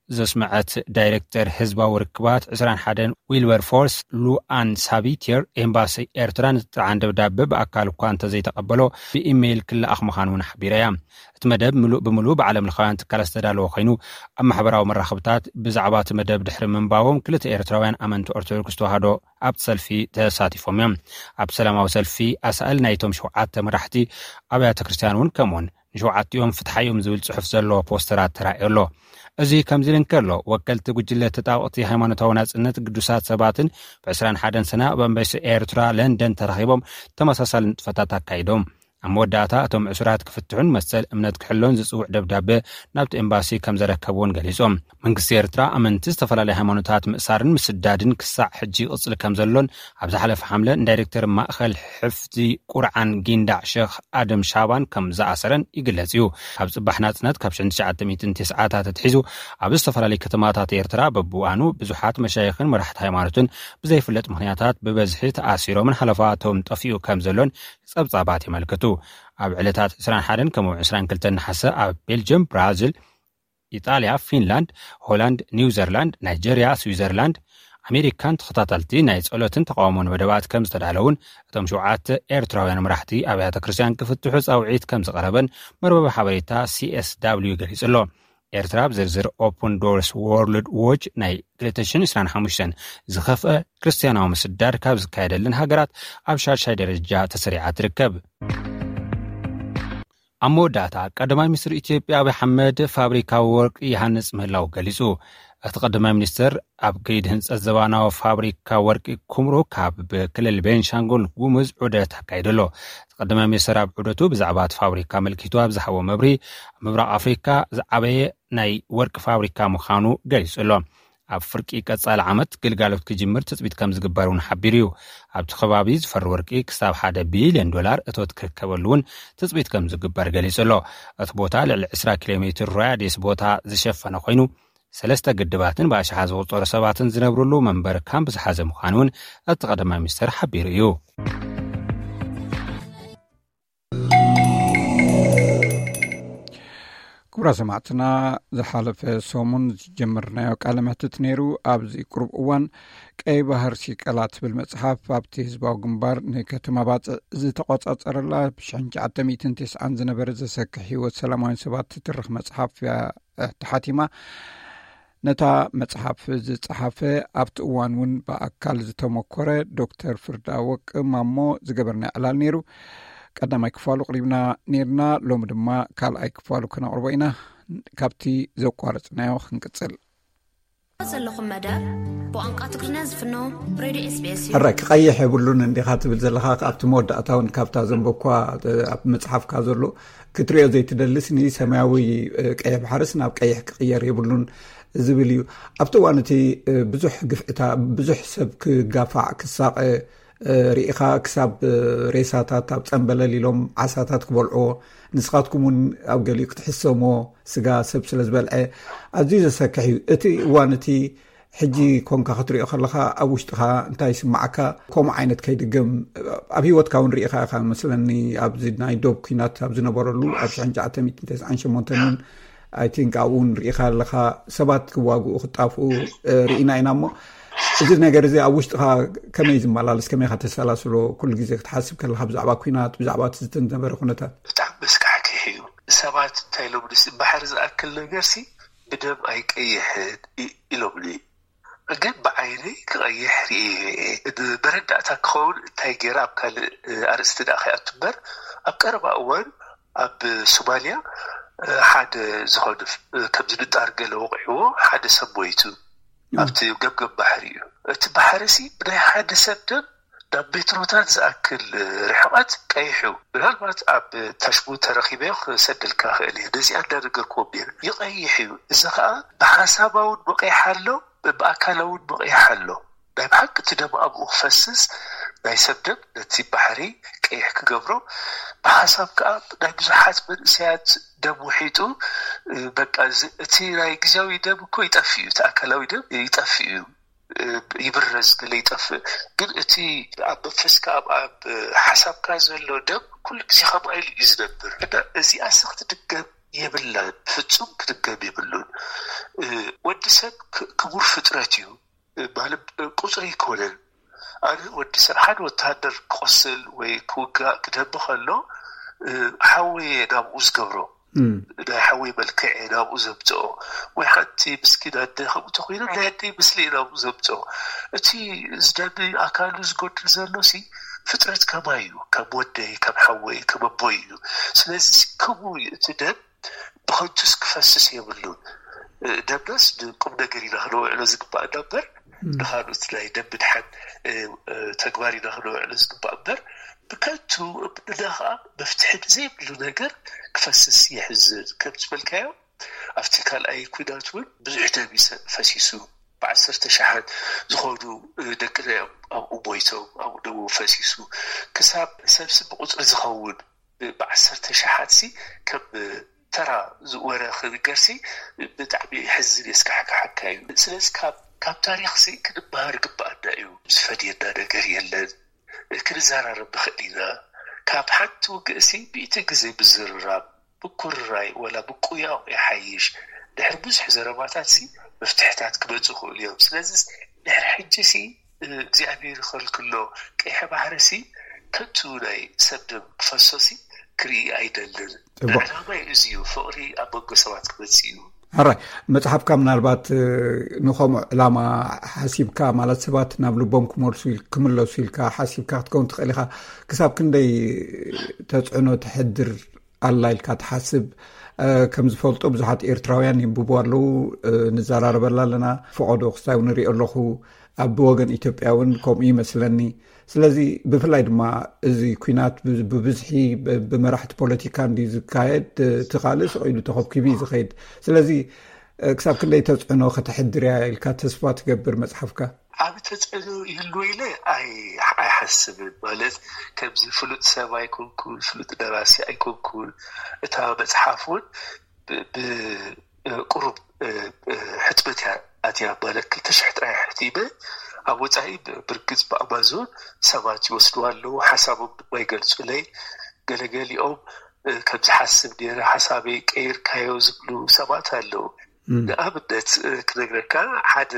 ዘስመዐት ዳይሬክተር ህዝባዊ ርክባት ዕስራን ሓደን ዊልበርፎርስ ሉኣን ሳቢቲር፣ ኤምባሲ ኤርትራ ንጥርዓን ደብዳበ ብኣካል እኳ እንተዘይተቐበሎ ብኢሜይል ክለኣኽ ምዃኑ እውን ሓቢራ እያ። እቲ መደብ ምሉእ ብምሉእ ብዓለም ለኻውያን ትካላት ዝተዳለወ ኮይኑ፣ ኣብ ማሕበራዊ መራኸብታት ብዛዕባ እቲ መደብ ድሕሪ ምንባቦም ክልተ ኤርትራውያን ኣመንቲ ኦርቶዶክስ ተዋህዶ ኣብቲ ሰልፊ ተሳቲፎም እዮም። ኣብ ሰላማዊ ሰልፊ ኣሳእል ናይቶም ሸውዓተ መራሕቲ ኣብያተ ክርስቲያን እውን ከምኡውን ንሸውዓቲኦም ፍትሓዮም ዝብል ጽሑፍ ዘለዎ ፖስተራት ተራእዮ ኣሎ። እዚ ከምዚ ኢሉ እንከሎ፣ ወከልቲ ጉጅለ ተጣበቕቲ ሃይማኖታዊ ናጽነት ግዱሳት ሰባትን ብ ዕስራን ሓደን ሰነ ኣብ ኣምባሲ ኤርትራ ለንደን ተራኺቦም ተመሳሳሊ ንጥፈታት ኣካይዶም። ኣብ መወዳእታ እቶም ዕሱራት ክፍትሑን መሰል እምነት ክሕሎን ዝጽውዕ ደብዳበ ናብቲ ኤምባሲ ከም ዘረከብዎን ገሊጾም። መንግስቲ ኤርትራ ኣመንቲ ዝተፈላለዩ ሃይማኖታት ምእሳርን ምስዳድን ክሳዕ ሕጂ ይቕጽል ከም ዘሎን፣ ኣብ ዝሓለፈ ሓምለ ንዳይሬክተር ማእኸል ሕፍዚ ቁርዓን ጊንዳዕ ሸኽ ኣደም ሻባን ከም ዝኣሰረን ይግለጽ እዩ። ካብ ጽባሕ ናጽነት ካብ ሽሕን ትሽዓተ ሚእትን ተስዓታት ኣትሒዙ ኣብ ዝተፈላለዩ ከተማታት ኤርትራ በብእዋኑ ብዙሓት መሻይኽን መራሕቲ ሃይማኖትን ብዘይፍለጥ ምኽንያታት ብበዝሒ ተኣሲሮምን ሓለፋቶም ጠፊኡ ከም ዘሎን ጸብጻባት የመልክቱ። ኣብ ዕለታት ዕስራን ሓደን ከምኡ ዕስራን ክልተን ነሓሰ ኣብ ቤልጅየም፣ ብራዚል፣ ኢጣልያ፣ ፊንላንድ፣ ሆላንድ፣ ኒውዚርላንድ፣ ናይጀርያ፣ ስዊዘርላንድ፣ ኣሜሪካን ተኸታተልቲ ናይ ጸሎትን ተቃውሞን መደባት ከም ዝተዳለውን እቶም ሸውዓተ ኤርትራውያን መራሕቲ ኣብያተ ክርስቲያን ክፍትሑ ጻውዒት ከም ዝቐረበን መርበብ ሓበሬታ ሲኤስዳብልዩ ገሊጹ ኣሎ። ኤርትራ ኣብ ዝርዝር ኦፕን ዶርስ ወርልድ ዎች ናይ ክልተ ሽሕን ዕስራን ሓሙሽተን ዝኸፍአ ክርስትያናዊ ምስዳድ ካብ ዝካየደለን ሃገራት ኣብ ሻድሻይ ደረጃ ተሰሪዓ ትርከብ። ኣብ መወዳእታ፣ ቀዳማይ ሚኒስትር ኢትዮጵያ ኣብይ ኣሕመድ ፋብሪካ ወርቂ ይሃንጽ ምህላው ገሊጹ። እቲ ቀዳማይ ሚኒስትር ኣብ ከይዲ ህንጸት ዘባናዊ ፋብሪካ ወርቂ ኩምሩክ ካብ ክልል ቤንሻንጉል ጉሙዝ ዑደት ኣካይዱ ኣሎ። እቲ ቀዳማይ ሚኒስትር ኣብ ዑደቱ ብዛዕባ እቲ ፋብሪካ ኣመልኪቱ ኣብ ዝሃቦ መብርሂ፣ ኣብ ምብራቕ ኣፍሪካ ዝዓበየ ናይ ወርቂ ፋብሪካ ምዃኑ ገሊጹ ኣሎ። ኣብ ፍርቂ ቀጻሊ ዓመት ግልጋሎት ክጅምር ትጽቢት ከም ዝግበር እውን ሓቢሩ እዩ። ኣብቲ ከባቢ ዝፈሪ ወርቂ ክሳብ ሓደ ቢልዮን ዶላር እቶት ክርከበሉ እውን ትጽቢት ከም ዝግበር ገሊጹ ኣሎ። እቲ ቦታ ልዕሊ ዕስራ ኪሎ ሜትር ራድየስ ቦታ ዝሸፈነ ኮይኑ፣ ሰለስተ ግድባትን ብኣሽሓት ዝቑጸሩ ሰባትን ዝነብርሉ መንበሪ ካምፕ ዝሓዘ ምዃኑ እውን እቲ ቀዳማይ ሚኒስተር ሓቢሩ እዩ። ክቡራ ሰማዕትና፣ ዝሓለፈ ሰሙን ዝጀመርናዮ ቃለ መሕትት ነይሩ። ኣብዚ ቅሩብ እዋን ቀይ ባህር ሲቀላ ትብል መጽሓፍ ኣብቲ ህዝባዊ ግንባር ንከተማ ባጽዕ ዝተቆጻጸረላ ብ ሽሕን ትሽዓተ ሚእትን ተስዓን ዝነበረ ዘሰክሕ ህይወት ሰላማውያን ሰባት ትትርኽ መጽሓፍ እያ ተሓቲማ። ነታ መጽሓፍ ዝጸሓፈ ኣብቲ እዋን እውን ብኣካል ዝተመኮረ ዶክተር ፍርዳ ወቅ ማሞ ዝገበርና ዕላል ነይሩ። ቀዳማይ ክፋሉ ቅሪብና ነይርና፣ ሎሚ ድማ ካልኣይ ክፋሉ ክነቕርቦ ኢና። ካብቲ ዘቋረጽናዮ ክንቅጽል። ዘለኹም መደብ ብቋንቋ ትግርኛ ዝፍኖ ሬድዮ ኤስቢኤስ እዩ። ሕራይ ክቐይሕ የብሉን እንዲኻ ትብል ዘለኻ፣ ኣብቲ መወዳእታ እውን ካብታ ዘንበኳ ኣብ መጽሓፍካ ዘሎ ክትሪኦ ዘይትደልስ ንሰማያዊ ቀይሕ ባሕርስ ናብ ቀይሕ ክቕየር የብሉን ዝብል እዩ። ኣብቲ እዋን እቲ ብዙሕ ግፍዕታ፣ ብዙሕ ሰብ ክጋፋዕ ክሳቐ ርኢኻ፣ ክሳብ ሬሳታት ኣብ ጸንበለል ኢሎም ዓሳታት ክበልዕዎ፣ ንስኻትኩም እውን ኣብ ገሊኡ ክትሕሰምዎ፣ ስጋ ሰብ ስለ ዝበልዐ ኣዝዩ ዘሰክሕ እዩ። እቲ እዋን እቲ ሕጂ ኮንካ ክትሪኦ ከለኻ ኣብ ውሽጥኻ እንታይ ይስምዓካ? ከምኡ ዓይነት ከይድገም ኣብ ህይወትካ እውን ርኢኻ ኢኻ መስለኒ። ኣብዚ ናይ ዶብ ኲናት ኣብ ዝነበረሉ ኣብ ሽሕን ትሽዓተ ሚእትን ተስዓን ሸሞንተን እውን፣ I think፣ ኣብኡ እውን ርኢኻ ኣለኻ። ሰባት ክዋግኡ ክጣፍኡ ርኢና ኢና። እሞ እዚ ነገር እዚ ኣብ ውሽጥኻ ከመይ ዝመላለስ፣ ከመይ ኢኻ ተሰላስሎ? ኩሉ ግዜ ክትሓስብ ከለኻ ብዛዕባ ኲናት፣ ብዛዕባ እቲ ዝተነበረ ኩነታት። ብጣዕሚ መስካሕክሕ እዩ። ሰባት እንታይ ኢሎም ንስ ባሕሪ ዝኣክል ነገርሲ ብደም ኣይቀይሕን ኢ-፣ ኢሎምኒ። ግን ብዓይነይ ክቐይሕ ርእየ። ብመረዳእታ ክኸውን እንታይ ገይረ ኣብ ካልእ ኣርእስቲ ደኣ ከይኣቱ እምበር፣ ኣብ ቀረባ እዋን ኣብ ሶማልያ ሓደ ዝኾነ ከምዚ ንጣር ገለ ወቒዕዎ ሓደ ሰብ ሞይቱ። ኣብቲ ገምገም ባሕሪ እዩ። እቲ ባሕሪ ሲ ብናይ ሓደ ሰብ ደም ናብ ሜትሮታት ዝኣክል ርሕቐት ቀይሕ እዩ። ምናልባት ኣብ ታሽቡ ተረኺበ ክሰደልካ ክእል እየ። ነዚኣ እንዳነገርክዎም ነይረ። ይቐይሕ እዩ። እዚ ኸኣ ብሓሳባውን መቐይሕ ኣሎ፣ ብኣካላውን መቐይሕ ኣሎ። ናይ ብሓቂ እቲ ደም ኣብኡ ክፈስስ፣ ናይ ሰብ ደም ነቲ ባሕሪ ቀይሕ ክገብሮ፣ ብሓሳብ ከኣ ናይ ብዙሓት መንእሰያት ደም ውሒጡ፣ በቃ እዚ፣ እቲ ናይ ግዝያዊ ደም እኮ ይጠፍእ እዩ፣ እቲ ኣካላዊ ደም ይጠፍእ እዩ። ይብረዝ ገለ ይጠፍእ። ግን እቲ ኣብ መንፈስካ፣ ኣብ፣ ኣብ ሓሳብካ ዘሎ ደም ኩሉ ግዜ ከምኡ ኢሉ እዩ ዝነብር። እና እዚኣስ ክትድገም የብላን፣ ፍጹም ክትድገም የብሉን። እ፣ ወዲ ሰብ ክ-፣ ክቡር ፍጥረት እዩ። እ፣ ማለት ቁጽሪ ኣይኮነን። ኣነ ወዲ ሰብ ሓደ ወተሃደር ክቆስል ወይ ክውጋእ ክደሚ ከሎ፣ እ፣ ሓወየ ናብኡ ዝገብሮ። እም። ናይ ሓወይ መልክዕ እየ ናብኡ ዘምጽኦ። ወይ ሓንቲ ምስኪን ኣደ ከምኡ ተኾይና ናይ ኣደይ ምስሊ እየ ናብኡ ዘምጽኦ። እቲ ዝደሚ ኣካሉ ዝጎድል ዘሎ ሲ ፍጥረት ከማይ እዩ። ከም ወደይ፣ ከም ሓወይ፣ ከም ኣቦይ እዩ። ስለዚ ሲ ክቡር እዩ። እቲ ደም ብኸንቱስ ክፈስስ የብሉን። እ፣ ደምናስ ንቁም ነገር ኢና ክነውዕሎ ዝግባእ እምበር፣ እም። ንኻልኦት ናይ ደም ምድሓን፣ እ፣ እ፣ ተግባር ኢና ክነውዕሎ ዝግባእ እምበር፣ ብከንቱ እምንና ኸኣ መፍትሒ ብዘይብሉ ነገር ክፈስስ የሕዝን። ከም ዝበልካዮ፣ ኣብቲ ካልኣይ ኲናት እውን ብዙሕ ደም ይሰ-፣ ፈሲሱ። ብዓሰርተ ሸሓት ዝኾኑ፣ እ፣ ደቅና እዮም ኣብኡ ሞይቶም፣ ኣብኡ ደሙ ፈሲሱ። ክሳብ ሰብሲ ብቁጽሪ ዝኸውን፣ እ፣ ብዓሰርተ ሸሓት ሲ ከም፣ እ፣ ተራ ዝ-፣ ወረ ክንገርሲ ብጣዕሚ የሕዝን የስካሕክሓካ እዩ። ስለዚ ካብ፣ ካብ ታሪኽሲ ክንመሃር ግባኣና እዩ። ዝፈድየና ነገር የለን። ክንዘራረብ ንኽእል ኢና። ካብ ሓንቲ ውግእሲ ሚእቲ ግዜ ምዝርራብ፣ ምኩርራይ ወላ ምቁያቕ ይሓይሽ። ድሕሪ ብዙሕ ዘረባታትሲ መፍትሕታት ክመጹ ይኽእሉ እዮም። ስለዚስ ድሕሪ ሕጂሲ እግዚኣብሔር ይኸልክሎ፣ ቀይሕ ባሕርሲ ከንቱ ናይ ሰብ ደም ክፈሶሲ ክርኢ ኣይደልን። ጽቡቕ። ዕላማይ እዚ እዩ፣ ፍቕሪ ኣብ መንጎ ሰባት ክመጽእ እዩ። ሕራይ፣ መጽሓፍካ ምናልባት፣ እ፣ ንኸምኡ ዕላማ ሓሲብካ፣ ማለት ሰባት ናብ ልቦም ክመልሱ ኢል-፣ ክምለሱ ኢልካ ሓሲብካ ክትከውን ትኽእል ኢኻ። ክሳብ ክንደይ ተጽዕኖ ተሕድር ኣላ ኢልካ ትሓስብ? እ፣ ከም ዝፈልጦ ብዙሓት ኤርትራውያን የንብቡ ኣለዉ፣ እ፣ ንዘራረበላ ኣለና። ፈቐዶ ክስታይ እውን ንሪኦ ኣለኹ። ኣብ ወገን ኢትዮጵያ እውን ከምኡ ይመስለኒ። ስለዚ ብፍላይ ድማ እዚ ኲናት ብ-፣ ብብዝሒ ብ-፣ ብመራሕቲ ፖለቲካ እንድዩ ዝካየድ፣ እቲ ካልእ ስቕ ኢሉ ተኸብኪቡ እዩ ዝኸይድ። ስለዚ፣ እ፣ ክሳብ ክንደይ ተጽዕኖ ከተሕድር እያ ኢልካ ተስፋ ትገብር መጽሓፍካ? ዓቢ ተጽዕኖ ይህልዎ ኢለ ኣይ-፣ ኣይሓስብን። ማለት፣ ከምዚ ፍሉጥ ሰብ ኣይኮንኩን፣ ፍሉጥ ደራሲ ኣይኮንኩን። እታ መጽሓፍ እውን ብ-፣ ብ-፣ ቁሩብ ሕትመት እያ ኣትያ። ማለት ክልተ ሽሕ ጥራይ ሕቲመ ኣብ ወፃኢ ብርግፅ ብኣማዞን ሰባት ይወስድዋ ኣለዉ። ሓሳቦም ድማ ይገልፁለይ። ገለገሊኦም ከምዚ ሓስብ ነይረ ሓሳበይ ቀይርካዮ ዝብሉ ሰባት ኣለዉ። ንኣብነት ክነግረካ ሓደ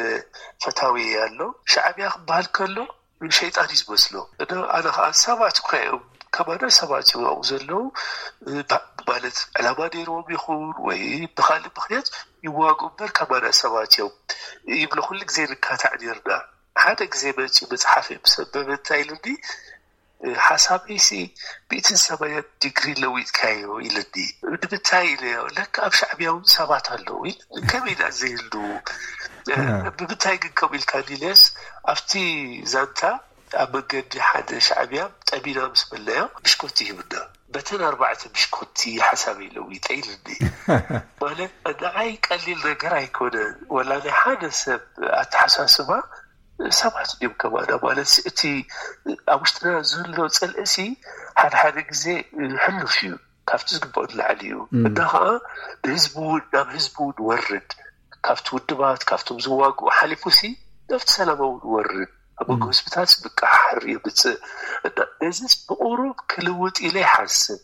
ፈታዊ ኣሎ። ሻዕብያ ክበሃል ከሎ ሸይጣን እዩ ዝመስሎ። ኣነ ከዓ ሰባት እኳ እዮም ከማና ሰባት እዮም ኣብኡ ዘለዉ። ማለት ዕላማ ነይርዎም ይኹን ወይ ብካልእ ምክንያት ይዋግኡ እምበር ከማና ሰባት እዮም ይብሎ። ኩሉ ግዜ ንካታዕ ነርና። ሓደ ግዜ መፂኡ መፅሓፍ ምስ ኣንበበ እንታይ ኢሉኒ፣ ሓሳበይሲ ሚእትን ሰማንያን ዲግሪ ለዊጥካዮ ኢለኒ። ንምንታይ ኢለዮ፣ ለካ ኣብ ሻዕብያ እውን ሰባት ኣለዉ ኢለኒ። ከመይ ኢና ዘይህልዉ? ብምንታይ ግን ከምኡ ኢልካ ኢለዮስ፣ ኣብቲ ዛንታ ኣብ መንገዲ ሓደ ሻዕብያ ጠሚና ምስ በልናዮ ብሽኮቲ ሂብና። በተን ኣርባዕተ ብሽኮቲ ሓሳበይ ለዊጠ ኢለኒ። ማለት ንዓይ ቀሊል ነገር ኣይኮነን። ወላ ናይ ሓደ ሰብ ኣተሓሳስባ ሰባት ድዮም ከማና ማለት እቲ ኣብ ውሽጥና ዘሎ ፅልእሲ ሓደ ሓደ ግዜ ሕሉፍ እዩ፣ ካብቲ ዝግበኦ ንላዕሊ እዩ። እና ከዓ ንህዝቢ እውን ናብ ህዝቢ እውን ወርድ፣ ካብቲ ውድባት ካብቶም ዝዋግኡ ሓሊፉሲ ናብቲ ሰላማዊ እውን ወርድ ኣብ መንጎ ህዝብታት ምቅሓር የምፅእ። እና ነዚ ብቁሩብ ክልውጥ ኢለ ይሓስብ።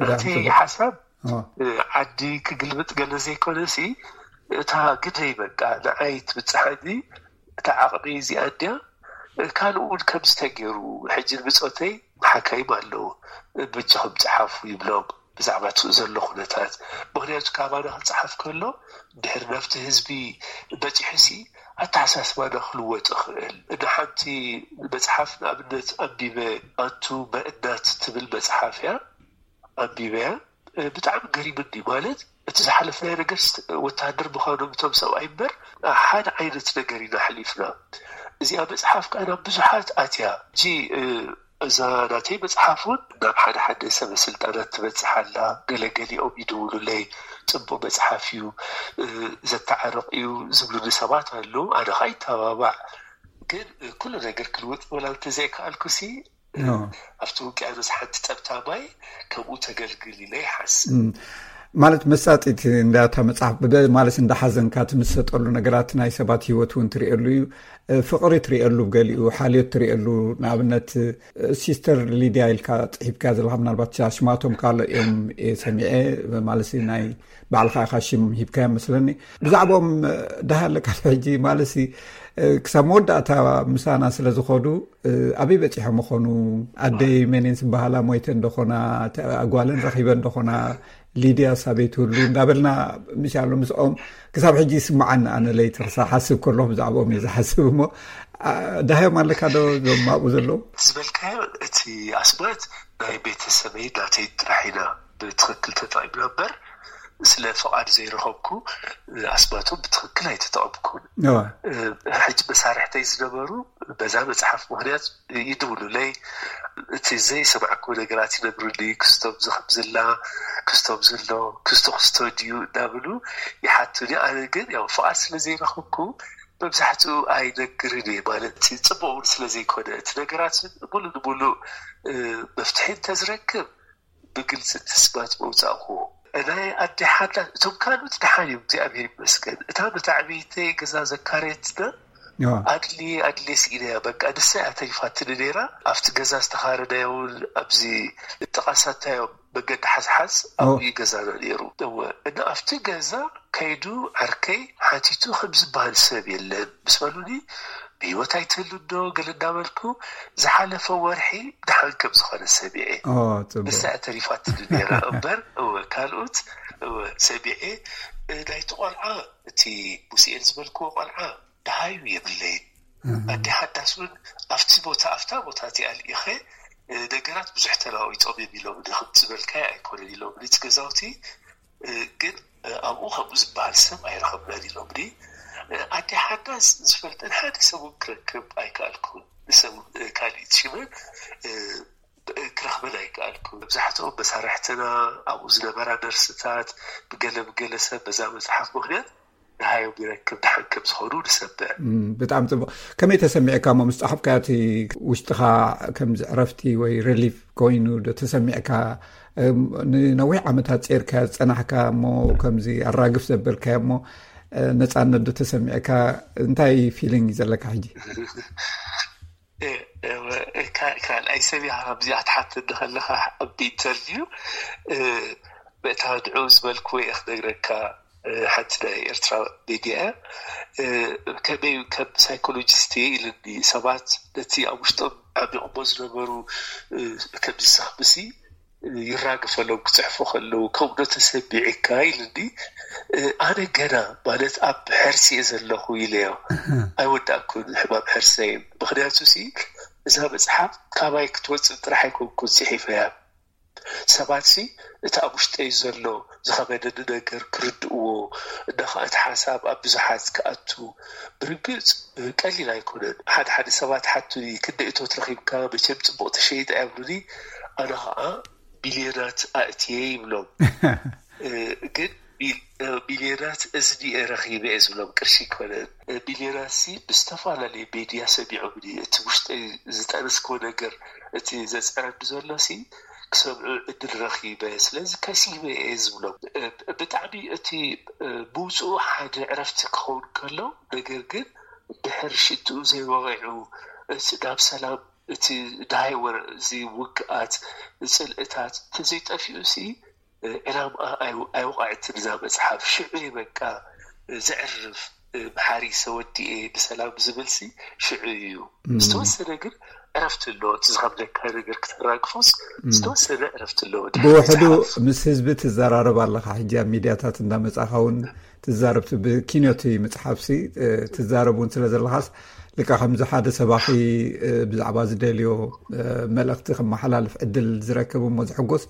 ናተይ ሓሳብ ዓዲ ክግልብጥ ገለ ዘይኮነሲ እታ ግደይ በቃ ንዓይ ትብፅሓኒ እታ ዓቕሚ እዚኣ እንድያ። ካልእ እውን ከምዚ ተገይሩ ሕጂ ንብፆተይ ሓካይም ኣለዉ በጃኹም ፀሓፉ ይብሎም ብዛዕባ እቲ ዘሎ ኩነታት። ምክንያቱ ካባና ክፀሓፍ ከሎ ድሕሪ ናብቲ ህዝቢ በፂሑሲ ኣተሓሳስባና ክልወጥ ይኽእል። ንሓንቲ መፅሓፍ ንኣብነት ኣንቢበ ኣንቱ መእናት ትብል መፅሓፍ እያ ኣንቢበያ። ብጣዕሚ ገሪምኒ ማለት እቲ ዝሓለፍናዮ ነገር ወታሃደር ምዃኖም እቶም ሰብኣይ እምበር ሓደ ዓይነት ነገር ኢና ኣሕሊፍና። እዚኣ መፅሓፍ ከዓ ናብ ብዙሓት ኣትያ። ሕጂ እዛ ናተይ መፅሓፍ እውን ናብ ሓደ ሓደ ሰበ ስልጣናት ትበፅሕ ኣላ። ገለገሊኦም ይድውሉለይ፣ ፅቡቅ መፅሓፍ እዩ፣ ዘተዓርቕ እዩ ዝብሉኒ ሰባት ኣለዉ። ኣነ ከዓ ይተባባዕ። ግን ኩሉ ነገር ክልውጥ ወላ እንተዘይከኣልኩሲ ኣብቲ ውቅያኖስ ሓንቲ ጠብታ ማይ ከምኡ ተገልግል ኢለ ይሓስብ። ማለት መሳጢት እንዳታ መፅሓፍ ማለት እንዳሓዘንካ ትምሰጠሉ ነገራት ናይ ሰባት ሂወት እውን ትሪእሉ እዩ። ፍቕሪ ትሪእሉ፣ ገሊኡ ሓልዮት ትሪእሉ። ንኣብነት ሲስተር ሊድያ ኢልካ ፅሒፍካ ዘለካ ምናልባት ኣሽማቶም ካልእ እዮም ሰሚዐ። ማለት ናይ ባዕልካ ኢካ ሽም ሂብካዮ መስለኒ። ብዛዕባኦም ዳሃ ኣለካ ሕጂ ማለት ክሳብ መወዳእታ ምሳና ስለ ዝኸዱ ኣበይ በፂሖም ይኾኑ? ኣደይ መንን ዝበሃላ ሞይተ እንደኾና፣ ኣጓለን ረኺበ እንደኾና፣ ሊድያ ሳበይ ትህሉ እንዳበልና ምሻሎ ምስኦም ክሳብ ሕጂ ይስምዓኒ። ኣነ ለይቲ ክሳብ ሓስብ ከለኹ ብዛዕባኦም እየ ዝሓስብ። እሞ ዳሃዮም ኣለካ ዶ ዞም ኣብኡ ዘለዉ? ዝበልካዮ እቲ ኣስማት ናይ ቤተሰበይ ናተይ ጥራሕ ኢና ብትኽክል ተጠቒምና እምበር ስለ ፍቓድ ዘይረኸብኩ ኣስማቶም ብትኽክል ኣይተጠቐምኩን። ሕጂ መሳርሕተይ ዝነበሩ በዛ መፅሓፍ ምክንያት ይድውሉለይ። እቲ ዘይሰማዕኩ ነገራት ይነግሩኒ። ክስቶም ዝከምዝላ ክስቶም ዝሎ ክስቶ ክስቶ ድዩ እናብሉ ይሓቱኒ። ኣነ ግን ያው ፍቓድ ስለ ዘይረኸብኩ መብዛሕትኡ ኣይነግርን እየ። ማለት ፅቡቅ እውን ስለ ዘይኮነ እቲ ነገራት ሙሉ ንሙሉ መፍትሒ እንተዝረክብ ብግልፂ እቲ ኣስማት መውፃእክዎ። ናይ ኣደ ሓዳስ እቶም ካልኦት ደሓን እዮም እግዚኣብሔር ይመስገን። እታ መታዕብይተይ ገዛ ዘካረየትና ኣድልየ ኣድልየ ስኢነያ በቃ ንሳ እያ ተሪፋትኒ ነይራ። ኣብቲ ገዛ ዝተኻረናዮ እውን ኣብዚ ጥቓ ሳታዮም መገዲ ሓዝሓዝ ኣብኡ እዩ ገዛና ነይሩ። እወ እና ኣብቲ ገዛ ከይዱ ዓርከይ ሓቲቱ ከም ዝበሃል ሰብ የለን ምስ በሉኒ ብህይወት ኣይትህሉ ዶ ገለ እንዳበልኩ ዝሓለፈ ወርሒ ደሓን ከም ዝኾነ ሰሚዐ። ንሳ ተሪፋትኒ ነይራ እምበር እወ ካልኦት እወ ሰሚዐ። ናይቲ ቆልዓ እቲ ሙስኤል ዝበልክዎ ቆልዓ ደሃዩ የብለይን። ኣደ ሓዳስ እውን ኣብቲ ቦታ ኣብታ ቦታ እቲኣ ልኢኸ ነገራት ብዙሕ ተለዋዊጦም እዮም ኢሎምኒ። ከምቲ ዝበልካዮ ኣይኮነን ኢሎምኒ እቲ ገዛውቲ ግን ኣብኡ ከምኡ ዝበሃል ሰብ ኣይረኸብናን ኢሎምኒ። ኣደ ሓዳስ ዝፈልጠን ሓደ ሰብ እውን ክረክብ ኣይከኣልኩን። ንሰብ እውን ካልኢት ሽመን ክረኽበን ኣይከኣልኩን። መብዛሕትኦም መሳርሕትና ኣብኡ ዝነበራ ነርስታት ብገለ ብገለ ሰብ በዛ መፅሓፍ ምክንያት ደሃዮም ይረክብ ደሓን ከም ዝኾኑ ንሰምዕ። ብጣዕሚ ፅቡቅ። ከመይ ተሰሚዕካ እሞ ምስ ፃሓፍካዮ እቲ ውሽጥኻ ከምዚ ዕረፍቲ ወይ ሪሊፍ ኮይኑ ዶ ተሰሚዕካ? ንነዊሕ ዓመታት ፀርካ ዝፀናሕካ እሞ ከምዚ ኣራግፍ ዘበልካዮ እሞ ነፃነት ዶ ተሰሚዕካ? እንታይ ፊሊንግ እዩ ዘለካ ሕጂ? ካልኣይ ሰብ ኢኻ ካብዚኣ ትሓተኒ ከለኻ ኣብ ኢንተርቪው። በእታ ንዑ ዝበልክዎ እየ ክነግረካ። ሓንቲ ናይ ኤርትራ ሜድያ እያ። ከመይ ከም ሳይኮሎጂስት እየ ኢልኒ። ሰባት ነቲ ኣብ ውሽጦም ዓሚቕሞ ዝነበሩ ከምዚ ሰኽምሲ ይራገፈሎም ክፅሕፉ ከለዉ ከምኡ ዶ ተሰሚዕካ ኢልኒ። ኣነ ገና ማለት ኣብ ሕርሲ እየ ዘለኹ ኢለዮ። ኣይወዳእኩን ሕማም ሕርሰይ። ምክንያቱ ሲ እዛ መፅሓፍ ካባይ ክትወፅእ ጥራሕ ኣይኮንኩን ፅሒፈያ። ሰባት ሲ እቲ ኣብ ውሽጠይ ዘሎ ዝኸበደኒ ነገር ክርድእዎ እና ከዓ እቲ ሓሳብ ኣብ ብዙሓት ክኣቱ። ብርግፅ ቀሊል ኣይኮነን። ሓደ ሓደ ሰባት ሓቱኒ ክንደይ እቶት ረኺብካ መቸም ፅቡቕ ተሸይጠ ይብሉኒ። ኣነ ከዓ ቢልዮናት ኣእትየ ይብሎም። ግን ቢልዮናት እዝኒ እየ ረኺበ እየ ዝብሎም፣ ቅርሺ ኣይኮነን። ቢልዮናት ሲ ብዝተፈላለየ ሜድያ ሰሚዖምኒ። እቲ ውሽጠይ ዝጠነስክዎ ነገር እቲ ዘፅዕረኒ ዘሎ ሲ ክሰምዑ ዕድል ረኺበ፣ ስለዚ ከሲበ እየ ዝብሎም። ብጣዕሚ እቲ ምውፅኡ ሓደ ዕረፍቲ ክኸውን ከሎ፣ ነገር ግን ድሕር ሽትኡ ዘይወቂዑ እቲ ናብ ሰላም እቲ ዳሃይ ወረ እዚ ውግኣት ፅልእታት እንተዘይጠፊኡ ሲ ዕላማ ኣይወቃዕትን እዛ መፅሓፍ። ሽዑ በቃ ዘዕርፍ፣ መሓሪ ሰወዲኤ ብሰላም ዝብልሲ ሽዑ እዩ። ዝተወሰነ ግን ዕረፍቲ ኣለዎ። እቲ ዝኸብደካ ነገር ክተራግፎስ ዝተወሰነ ዕረፍቲ ኣለዎ። ብውሕዱ ምስ ህዝቢ ትዘራረብ ኣለኻ። ሕጂ ኣብ ሚድያታት እንዳመፃኻ እውን ትዛረብ፣ ብኪኖቲ መፅሓፍሲ ትዛረብ እውን ስለ ዘለኻስ፣ ልካ ከምዚ ሓደ ሰባኺ ብዛዕባ ዝደልዮ መልእኽቲ ከመሓላልፍ ዕድል ዝረክብ እሞ ዝሕጎስ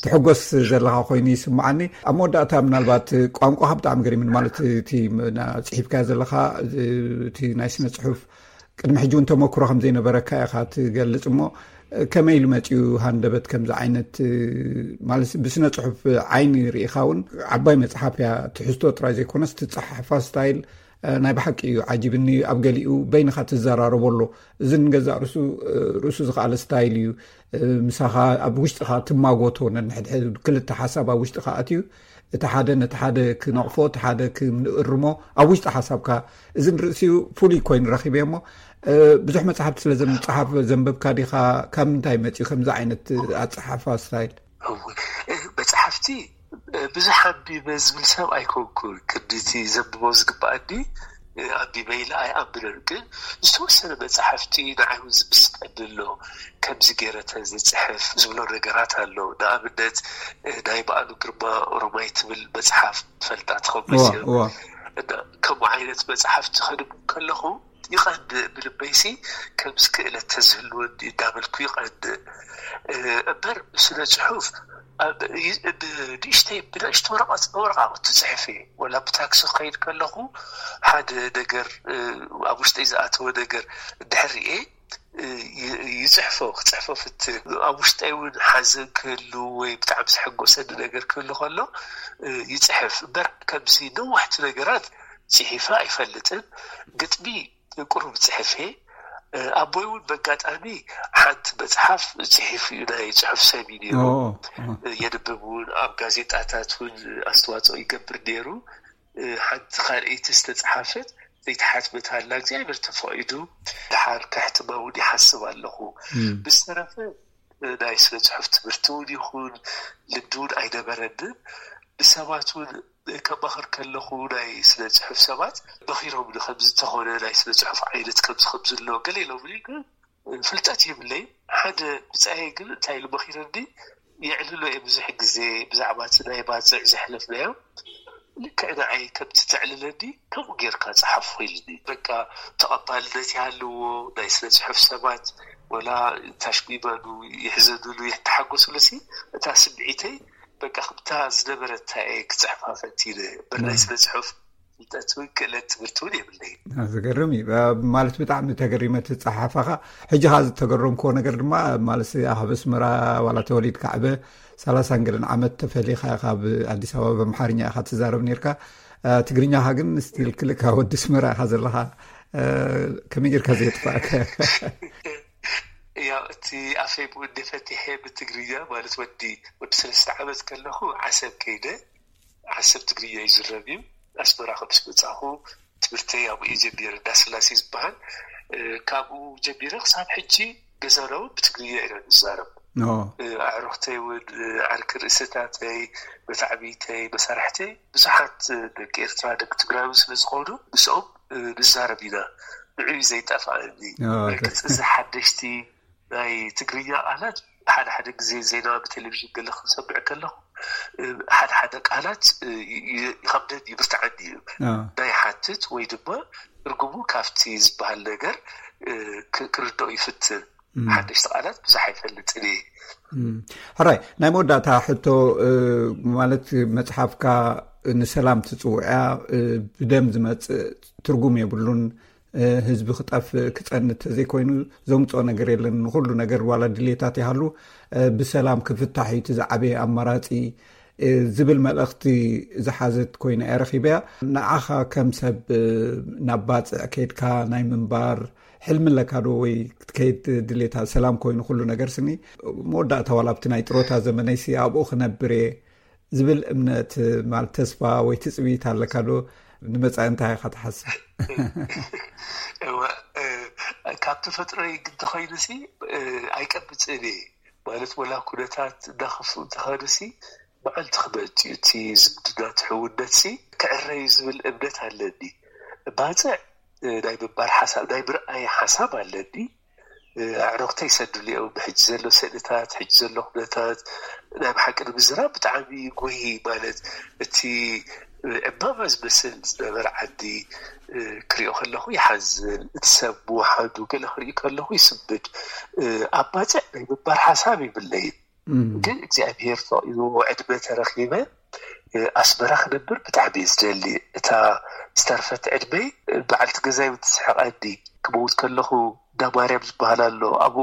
ትሕጎስ ዘለኻ ኮይኑ ይስምዓኒ። ኣብ መወዳእታ ምናልባት ቋንቋኻ ብጣዕሚ ገሪምን፣ ማለት እቲ ጽሒፍካዮ ዘለኻ እቲ ናይ ስነ ጽሑፍ ቅድሚ ሕጂ እውን ተመክሮ ከም ዘይነበረካ ኢኻ ትገልጽ እሞ፣ ከመይ ኢሉ መጺኡ ሃንደበት ከምዚ ዓይነት፣ ማለት ብስነ ጽሑፍ ዓይኒ ርኢኻ እውን ዓባይ መጽሓፍ እያ፣ ትሕዝቶ ጥራይ ዘይኮነስ ትጸሓሓፋ ስታይል ናይ ብሓቂ እዩ ዓጂብኒ። ኣብ ገሊኡ በይንኻ ትዘራረቦ ኣሎ፣ እዚ ንገዛእ ርእሱ ርእሱ ዝኸኣለ ስታይል እዩ። ምሳኻ ኣብ ውሽጥኻ ትማጎቶ ነንሕድሕድ ክልተ ሓሳብ ኣብ ውሽጥኻ ኣትዩ እቲ ሓደ ነቲ ሓደ ክነቕፎ እቲ ሓደ ክንእርሞ ኣብ ውሽጢ ሓሳብካ እዚ ንርእሲኡ ፍሉይ ኮይኑ ረኺበ እሞ ብዙሕ መጽሓፍቲ ስለ ዘምጽሓፍ ዘንበብካ ዲኻ? ካብ ምንታይ መጺኡ ከምዚ ዓይነት ኣጸሓፋ ስታይል? መጽሓፍቲ ብዙሕ ኣንቢበ ዝብል ሰብ ኣይኮንኩን። ክንዲቲ ዘንብቦ ዝግባኣኒ ኣንቢበ ኢለ ኣይኣምንን፣ ግን ዝተወሰነ መጽሓፍቲ ንዓይ እውን ዝምስጠኒ ኣሎ። ከምዚ ገይረ ተዝጽሕፍ ዝብሎ ነገራት ኣሎ። ንኣብነት ናይ በዓሉ ግርማ ኦሮማይ ትብል መጽሓፍ ትፈልጣ ትኸውን መሲሉ። ከምኡ ዓይነት መጽሓፍቲ ከንብብ ከለኹ ይቐንእ ብልበይሲ፣ ከምዚ ክእለት ተዝህልወኒ እንዳበልኩ ይቐንእ። እምበር ስነ ጽሑፍ ንእሽተይ ብንእሽተ ወረቃቅቲ ጽሕፍ እየ። ወላ ብታክሲ ክኸይድ ከለኹ ሓደ ነገር ኣብ ውሽጠይ ዝኣተወ ነገር እንድሕር ርኤ ይፅሕፎ ክፅሕፎ ፍትን። ኣብ ውሽጠይ እውን ሓዘን ክህሉ ወይ ብጣዕሚ ዝሐጎሰኒ ነገር ክህሉ ከሎ ይፅሕፍ እምበር ከምዚ ነዋሕቲ ነገራት ፅሒፈ ኣይፈልጥን። ግጥሚ ቁሩብ ፅሕፍ እየ። ኣቦይ እውን በጋጣሚ ሓንቲ መፅሓፍ ፅሒፉ እዩ፣ ናይ ፅሑፍ ሰብ እዩ ነይሩ። የንብብ እውን ኣብ ጋዜጣታት እውን ኣስተዋፅኦ ይገብር ነይሩ። ሓንቲ ካልኣይቲ ዝተፅሓፈት ዘይተሓትመት ኣላ እግዚኣብሔር ተፈቒዱ ድሓር ከሕትማ እውን ይሓስብ ኣለኹ። ብዝተረፈ ናይ ስነ ፅሑፍ ትምህርቲ እውን ይኹን ልምዲ እውን ኣይነበረንን። ንሰባት እውን ከማኽር ከለኹ ናይ ስነ ፅሑፍ ሰባት መኺሮም ንከምዚ እንተኾነ ናይ ስነ ፅሑፍ ዓይነት ከምዚ ከምዚ ኣሎ ገለ ኢሎምኒ። ግን ፍልጠት የብለይ። ሓደ ብፃየ ግን እንታይ ኢሉ መኺረኒ፣ የዕልሎ እየ ብዙሕ ግዜ ብዛዕባ እቲ ናይ ባፅዕ ዘሕለፍናዮ። ልክዕ ንዓይ ከምቲ ተዕልለኒ ከምኡ ጌርካ ፀሓፎ ኢልኒ። በቃ ተቐባልነት ይሃልዎ፣ ናይ ስነ ፅሑፍ ሰባት ወላ ታሽሚመሉ ይሕዘኑሉ ይተሓጎሱሉ ሲ እታ ስምዒተይ በቃ ከምታ ዝነበረታ እየ ክፅሕፋ ፈቲነ። እምበር ናይ ስነ ፅሑፍ ፍልጠት እውን ክእለት ትምህርቲ እውን የብለይ። ዝገርም እዩ። ማለት ብጣዕሚ ተገሪመ እቲ ጸሓፋኻ። ሕጂ ካ ዝተገረምክዎ ነገር ድማ ማለት ኣብ ኣስመራ ዋላ ተወሊድካ ዓበ ሰላሳን ገለን ዓመት ተፈሊኻ ካብ ኣዲስ ኣበባ ብኣምሓርኛ ኢኻ ትዛረብ ነርካ። ትግርኛኻ ግን ስቲል ክልካ ወዲ ኣስመራ ኢኻ ዘለኻ። ከመይ ጌርካ ዘየጥፋእከ? ያው እቲ ኣፈይ ብኡ እንደ ፈቲሐ ብትግርኛ ማለት ወዲ ወዲ ሰለስተ ዓመት ከለኹ ዓሰብ ከይደ። ዓሰብ ትግርኛ ይዝረብ እዩ። ኣስመራ ከም ምስ መጻኹ ትምህርተይ ኣብኡ እየ ጀሚረ፣ እንዳስላሴ ዝበሃል። ካብኡ ጀሚረ ክሳብ ሕጂ ገዛና እውን ብትግርኛ ኢና ንዛረብ። ኣዕሩኽተይ እውን፣ ዓርኪ ርእስታተይ፣ መታዕብይተይ፣ መሳርሕተይ ብዙሓት ደቂ ኤርትራ፣ ደቂ ትግራይ እውን ስለ ዝኾኑ ምስኦም ንዛረብ ኢና። ንዕኡ ዘይጠፍኣኒ። ርግጽ እዚ ሓደሽቲ ናይ ትግርኛ ቃላት ሓደ ሓደ ግዜ ዜና ብቴሌቪዥን ገለ ክንሰምዕ ከለኹ ሓደ ሓደ ቃላት ይኸብደኒ፣ ይብርትዓኒ እዩ። ናይ ሓትት ወይ ድማ ትርጉሙ ካብቲ ዝበሃል ነገር ክርድኦ ይፍትን። ሓደሽቲ ቃላት ብዙሕ ኣይፈልጥን እየ። ሕራይ፣ ናይ መወዳእታ ሕቶ፣ ማለት መፅሓፍካ ንሰላም ትፅውዕያ፣ ብደም ዝመፅእ ትርጉም የብሉን፣ ህዝቢ ክጠፍእ ክፀንት ተዘይኮይኑ ዘምፅኦ ነገር የለን፣ ንኩሉ ነገር ዋላ ድሌታት ይሃሉ ብሰላም ክፍታሕ እዩ እቲ ዝዓበየ ኣማራፂ ዝብል መልእኽቲ ዝሓዘት ኮይና እየ ረኺበያ። ንዓኻ ከም ሰብ ናብ ባፅዕ ከይድካ ናይ ምንባር ሕልሚ ኣለካ ዶ? ወይ ክትከይድ ድሌታ ሰላም ኮይኑ ኩሉ ነገር ስኒ መወዳእታ ዋላ ኣብቲ ናይ ጥሮታ ዘመነይሲ ኣብኡ ክነብር እየ ዝብል እምነት ማለት ተስፋ ወይ ትፅቢት ኣለካ ዶ? ንመፃኢ እንታይ ኢኻ ትሓስብ? ካብ ተፈጥሮይ ግን ተኸይኑሲ ኣይቀብፅን እየ ማለት ወላ ኩነታት እንዳኸፍኡ እንተኸዱሲ መዓልቲ ክመፅእ እቲ ዝምድና ትሕውነትሲ ክዕረዩ ዝብል እምነት ኣለኒ። ባፅዕ ናይ ምንባር ሓሳብ ናይ ምርኣይ ሓሳብ ኣለኒ። ኣዕሩኽተይ ይሰድሉ እዮም። ሕጂ ዘሎ ስእልታት፣ ሕጂ ዘሎ ኩነታት ናይ ብሓቂ ንምዝራብ ብጣዕሚ ጎሂ ማለት እቲ ዕምባባ ዝመስል ዝነበረ ዓዲ ክሪኦ ከለኹ ይሓዝን። እቲ ሰብ ምውሓዱ ገለ ክርኢ ከለኹ ይስምድ። ኣብ ባፅዕ ናይ ምንባር ሓሳብ ይብለይን። ግን እግዚኣብሔር ፈቒድዎ ዕድመ ተረኺበ ኣስመራ ክነብር ብጣዕሚ እየ ዝደሊ። እታ ዝተርፈት ዕድመይ በዓልቲ ገዛይ እውን ትስሕቐኒ። ክመውት ከለኹ እንዳ ማርያም ዝበሃል ኣሎ ኣብኡ፣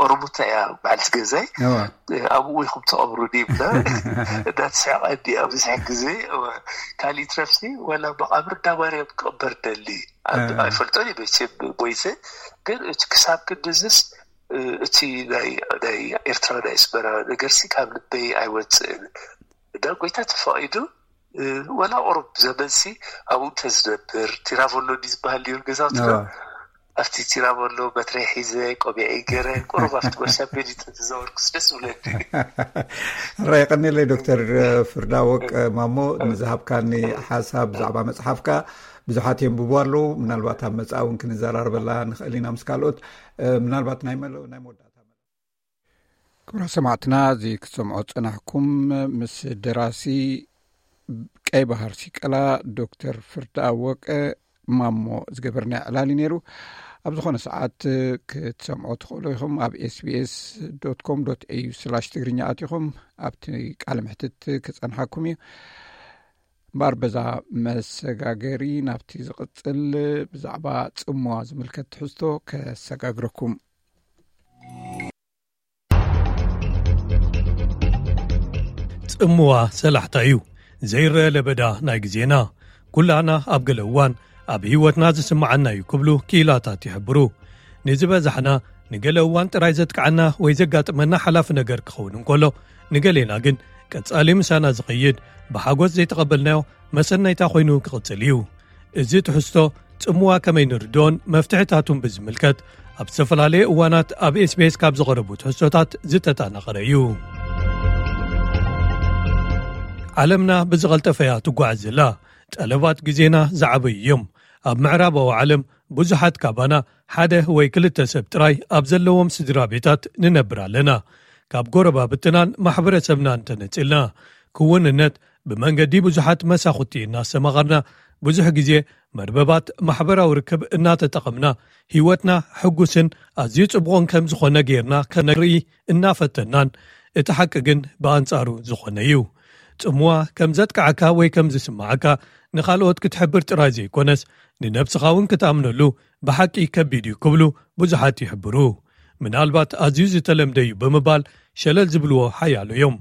ኦሮሞታ እያ በዓልቲ ገዛይ፣ ኣብኡ ኢኹም ተቐብሩኒ ይብላ። እንዳትስሕቐኒ ኣብ ብዙሕ ግዜ። ካሊእ ትረፍሲ ዋላ መቓብር እንዳ ማርያም ክቕበር ደሊ። ኣይፈልጦን እየ መቸም ሞይተ፣ ግን እቲ ክሳብ ክንድዝስ እቲ ናይ ኤርትራ ናይ ኣስመራ ነገርሲ ካብ ልበይ ኣይወፅእን። እና ጎይታ ተፈቒዱ ወላ ቁሩብ ዘመንሲ ኣብኡ እንተዝነብር፣ ቲራቮሎ ድዩ ዝበሃል ነይሩ ገዛውትና? ኣብቲ ቲራቮሎ በትረይ ሒዘ ቆቢዐይ ገይረ ቁሩብ ኣብቲ መርሻ ቤት እንተተዛወርኩስ ደስ ዝብለኒ። ራይ ቀኒለይ ዶክተር ፍርዳወቅ ማሞ ንዝሃብካኒ ሓሳብ ብዛዕባ መፅሓፍካ። ብዙሓት የንብቡ ኣለዉ። ምናልባት ኣብ መፃእ እውን ክንዘራርበላ ንኽእል ኢና ምስ ካልኦት። ምናልባት ናይ መለ ናይ መወዳእታ ክብራ ሰማዕትና እዚ ክትሰምዖ ዝጸናሕኩም ምስ ደራሲ ቀይ ባህር ሲቀላ ዶክተር ፍርዳ ወቀ ማሞ ዝገበርና ዕላል እዩ ነይሩ። ኣብ ዝኾነ ሰዓት ክትሰምዖ ትኽእሉ ኢኹም። ኣብ ኤስቢኤስ ዶት ኮም ዶት ኤዩ ስላሽ ትግርኛ ኣቲኹም ኣብቲ ቃለ ምሕትት ክጸንሓኩም እዩ። እምበኣር በዛ መሰጋገሪ ናብቲ ዝቕጽል ብዛዕባ ጽምዋ ዝምልከት ትሕዝቶ ከሰጋግረኩም። ጽምዋ ሰላሕታ እዩ። ዘይረአ ለበዳ ናይ ግዜና። ኩላና ኣብ ገለ እዋን ኣብ ህይወትና ዝስምዓና እዩ ክብሉ ክኢላታት ይሕብሩ። ንዝበዛሕና ንገለ እዋን ጥራይ ዘጥቅዓና ወይ ዘጋጥመና ሓላፊ ነገር ክኸውን እንከሎ፣ ንገሌና ግን ቀጻሊ ምሳና ዝኸይድ ብሓጎስ ዘይተቐበልናዮ መሰነይታ ኮይኑ ክቕጽል እዩ። እዚ ትሕዝቶ ጽምዋ ከመይ ንርድኦን መፍትሕታቱን ብዝምልከት ኣብ ዝተፈላለየ እዋናት ኣብ ኤስቢኤስ ካብ ዝቐረቡ ትሕዝቶታት ዝተጣናቐረ እዩ። ዓለምና ብዝቐልጠፈ እያ ትጓዓዝ ዘላ። ጠለባት ግዜና ዝዓበዩ እዮም። ኣብ ምዕራባዊ ዓለም ብዙሓት ካባና ሓደ ወይ ክልተ ሰብ ጥራይ ኣብ ዘለዎም ስድራ ቤታት ንነብር ኣለና። ካብ ጎረባብትናን ማሕበረሰብናን ተነጺልና፣ ክውንነት ብመንገዲ ብዙሓት መሳኹቲ እናስተማቐርና፣ ብዙሕ ግዜ መርበባት ማሕበራዊ ርክብ እናተጠቐምና፣ ህይወትና ሕጉስን ኣዝዩ ጽቡቕን ከም ዝኾነ ጌርና ከነርኢ እናፈተናን፣ እቲ ሓቂ ግን ብኣንጻሩ ዝኾነ እዩ። ጽምዋ ከም ዘጥቅዓካ ወይ ከም ዝስምዓካ ንኻልኦት ክትሕብር ጥራይ ዘይኮነስ፣ ንነብስኻ እውን ክትኣምነሉ ብሓቂ ከቢድ እዩ ክብሉ ብዙሓት ይሕብሩ። ምናልባት ኣዝዩ ዝተለምደ እዩ ብምባል ሸለል ዝብልዎ ሓያሎ እዮም።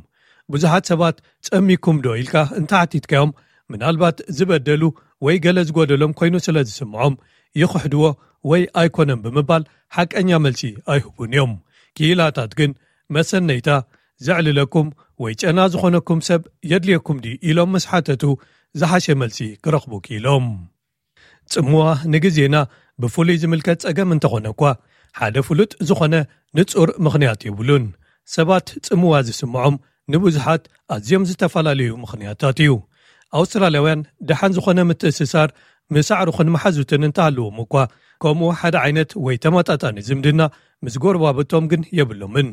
ብዙሓት ሰባት ጸሚኩም ዶ ኢልካ እንተሓቲትካዮም፣ ምናልባት ዝበደሉ ወይ ገለ ዝጎደሎም ኮይኑ ስለ ዝስምዖም ይኽሕድዎ ወይ ኣይኮነን ብምባል ሓቀኛ መልሲ ኣይህቡን እዮም። ክኢላታት ግን መሰነይታ ዘዕልለኩም ወይ ጨና ዝኾነኩም ሰብ የድልየኩም ድዩ ኢሎም ምስ ሓተቱ ዝሓሸ መልሲ ክረኽቡ ክኢሎም። ጽምዋ ንግዜና ብፍሉይ ዝምልከት ጸገም እንተኾነ እኳ ሓደ ፍሉጥ ዝኾነ ንጹር ምኽንያት የብሉን። ሰባት ጽምዋ ዝስምዖም ንብዙሓት ኣዝዮም ዝተፈላለዩ ምኽንያታት እዩ። ኣውስትራልያውያን ደሓን ዝኾነ ምትእስሳር ምስ ኣዕሩኽን መሓዙትን እንተሃለዎም እኳ ከምኡ ሓደ ዓይነት ወይ ተመጣጣኒ ዝምድና ምስ ጎረባብቶም ግን የብሎምን።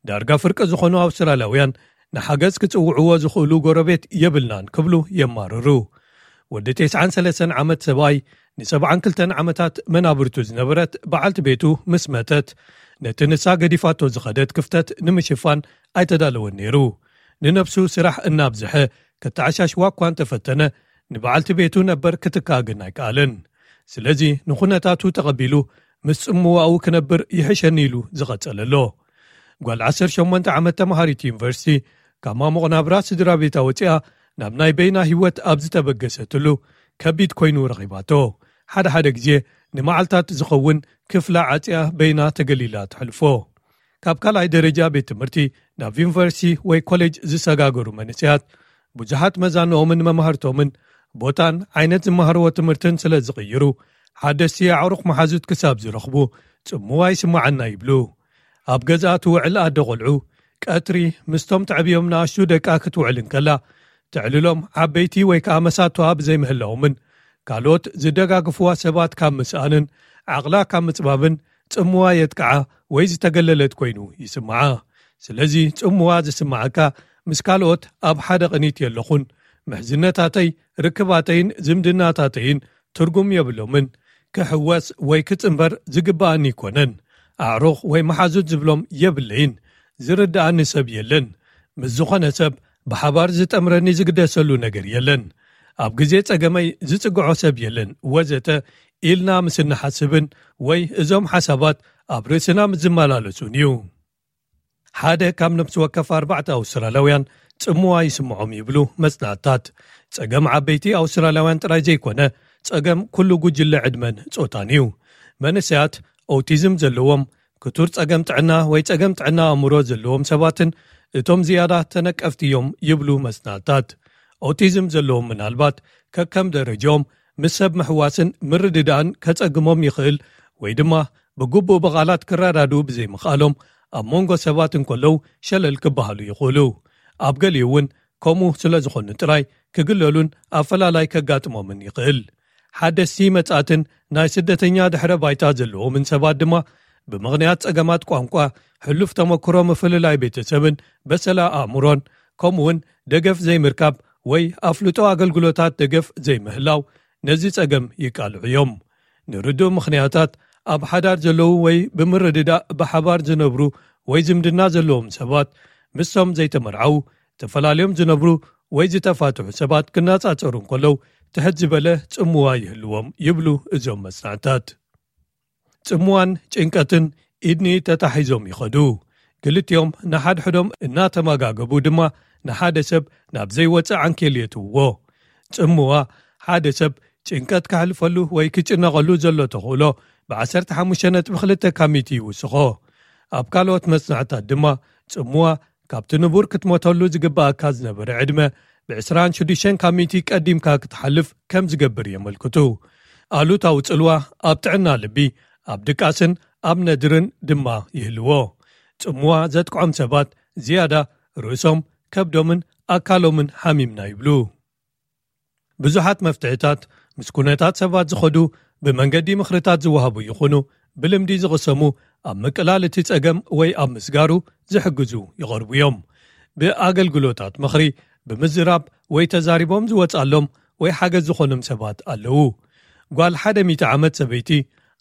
ዳርጋ ፍርቂ ዝኾኑ ኣውስትራልያውያን ንሓገዝ ክጽውዕዎ ዝኽእሉ ጎረቤት የብልናን ክብሉ የማርሩ። ወዲ ተስዓን ሰለስተን ዓመት ሰብኣይ ንሰብዓን ክልተን ዓመታት መናብርቱ ዝነበረት በዓልቲ ቤቱ ምስ መተት ነቲ ንሳ ገዲፋቶ ዝኸደት ክፍተት ንምሽፋን ኣይተዳለወን ነይሩ። ንነብሱ ስራሕ እናብዝሐ ከተዓሻሽዋ እኳ እንተፈተነ ንበዓልቲ ቤቱ ነበር ክትክኣ ግን ኣይከኣለን። ስለዚ ንኹነታቱ ተቐቢሉ ምስ ጽምዋኡ ክነብር ይሕሸኒ ኢሉ ዝቐጸለ ኣሎ። ጓል ዓሰርተ ሸሞንተ ዓመት ተምሃሪት ዩኒቨርሲቲ ካብ ማሙቕ ናብራ ስድራ ቤታ ወፂኣ ናብ ናይ በይና ህይወት ኣብ ዝተበገሰትሉ ከቢድ ኮይኑ ረኺባቶ። ሓደ ሓደ ግዜ ንመዓልታት ዝኸውን ክፍላ ዓፅያ በይና ተገሊላ ትሕልፎ። ካብ ካልኣይ ደረጃ ቤት ትምህርቲ ናብ ዩኒቨርሲቲ ወይ ኮሌጅ ዝሰጋገሩ መንእሰያት ብዙሓት መዛንኦምን መማህርቶምን ቦታን ዓይነት ዝመሃርዎ ትምህርትን ስለ ዝቕይሩ ሓደስቲ ኣዕሩኽ መሓዙት ክሳብ ዝረኽቡ ጽምዋ ይስምዓና ይብሉ። ኣብ ገዛኣ ትውዕል ኣደ ቆልዑ ቀትሪ ምስቶም ተዕብዮም ንኣሽቱ ደቃ ክትውዕል እንከላ ተዕልሎም ዓበይቲ ወይ ከኣ መሳቶኣ ብዘይምህላዎምን ካልኦት ዝደጋግፍዋ ሰባት ካብ ምስኣንን ዓቕላ ካብ ምጽባብን ጽምዋ የጥቅዓ ወይ ዝተገለለት ኮይኑ ይስምዓ። ስለዚ ጽምዋ ዝስምዓካ ምስ ካልኦት ኣብ ሓደ ቅኒት የለኹን፣ ምሕዝነታተይ ርክባተይን ዝምድናታተይን ትርጉም የብሎምን፣ ክሕወስ ወይ ክጽንበር ዝግብኣኒ ኣይኮነን፣ ኣዕሩኽ ወይ መሓዙት ዝብሎም የብለይን፣ ዝርድኣኒ ሰብ የለን፣ ምስ ዝኾነ ሰብ ብሓባር ዝጠምረኒ ዝግደሰሉ ነገር የለን፣ ኣብ ግዜ ጸገመይ ዝጽግዖ ሰብ የለን ወዘተ ኢልና ምስ እንሓስብን ወይ እዞም ሓሳባት ኣብ ርእስና ምስ ዝመላለሱን እዩ። ሓደ ካብ ነፍሲ ወከፍ ኣርባዕተ ኣውስትራልያውያን ጽምዋ ይስምዖም ይብሉ መጽናዕትታት። ጸገም ዓበይቲ ኣውስትራልያውያን ጥራይ ዘይኮነ ጸገም ኩሉ ጉጅለ ዕድመን ጾታን እዩ። መንእሰያት ኦቲዝም ዘለዎም፣ ክቱር ጸገም ጥዕና ወይ ጸገም ጥዕና ኣእምሮ ዘለዎም ሰባትን እቶም ዝያዳ ተነቀፍቲ እዮም ይብሉ መጽናዕትታት። ኦቲዝም ዘለዎም ምናልባት ከከም ደረጃኦም ምስ ሰብ ምሕዋስን ምርድዳእን ከጸግሞም ይኽእል ወይ ድማ ብግቡእ ብቓላት ክረዳድኡ ብዘይምኽኣሎም ኣብ መንጎ ሰባት እንከለዉ ሸለል ክበሃሉ ይኽእሉ። ኣብ ገሊኡ እውን ከምኡ ስለ ዝኾኑ ጥራይ ክግለሉን ኣፈላላይ ከጋጥሞምን ይኽእል። ሓደስቲ መጻእትን ናይ ስደተኛ ድሕረ ባይታ ዘለዎምን ሰባት ድማ ብምኽንያት ጸገማት ቋንቋ፣ ሕሉፍ ተመክሮ ምፍልላይ ቤተሰብን በሰላ ኣእምሮን ከምኡውን ደገፍ ዘይምርካብ ወይ ኣፍልጦ ኣገልግሎታት ደገፍ ዘይምህላው ነዚ ጸገም ይቃልዑ እዮም። ንርዱእ ምኽንያታት ኣብ ሓዳር ዘለዉ ወይ ብምርድዳእ ብሓባር ዝነብሩ ወይ ዝምድና ዘለዎም ሰባት ምስቶም ዘይተመርዓዉ፣ ተፈላለዮም ዝነብሩ ወይ ዝተፋትሑ ሰባት ክነጻጸሩ እንከለዉ ትሕት ዝበለ ጽምዋ ይህልዎም ይብሉ እዞም መጽናዕታት። ጽምዋን ጭንቀትን ኢድኒ ተታሒዞም ይኸዱ። ክልቲኦም ንሓድሕዶም እናተመጋገቡ ድማ ንሓደ ሰብ ናብ ዘይወጽእ ዓንኬል የትውዎ። ጽምዋ ሓደ ሰብ ጭንቀት ከሕልፈሉ ወይ ክጭነቐሉ ዘሎ ተኽእሎ ብ15.2 ካብ ሚእቲ ይውስኾ። ኣብ ካልኦት መጽናዕታት ድማ ጽምዋ ካብቲ ንቡር ክትሞተሉ ዝግባኣካ ዝነበረ ዕድመ ብ26 ካብ ሚእቲ ቀዲምካ ክትሓልፍ ከም ዝገብር የመልክቱ። ኣሉታዊ ጽልዋ ኣብ ጥዕና ልቢ፣ ኣብ ድቃስን ኣብ ነድርን ድማ ይህልዎ። ጽምዋ ዘጥቅዖም ሰባት ዝያዳ ርእሶም፣ ከብዶምን ኣካሎምን ሓሚምና ይብሉ። ብዙሓት መፍትሕታት ምስ ኩነታት ሰባት ዝኸዱ ብመንገዲ ምኽርታት ዝወሃቡ ይኹኑ ብልምዲ ዝቕሰሙ ኣብ ምቅላል እቲ ጸገም ወይ ኣብ ምስጋሩ ዝሕግዙ ይቐርቡ እዮም። ብኣገልግሎታት ምኽሪ ብምዝራብ ወይ ተዛሪቦም ዝወጻሎም ወይ ሓገዝ ዝኾኖም ሰባት ኣለዉ። ጓል ሓደ ሚእቲ ዓመት ሰበይቲ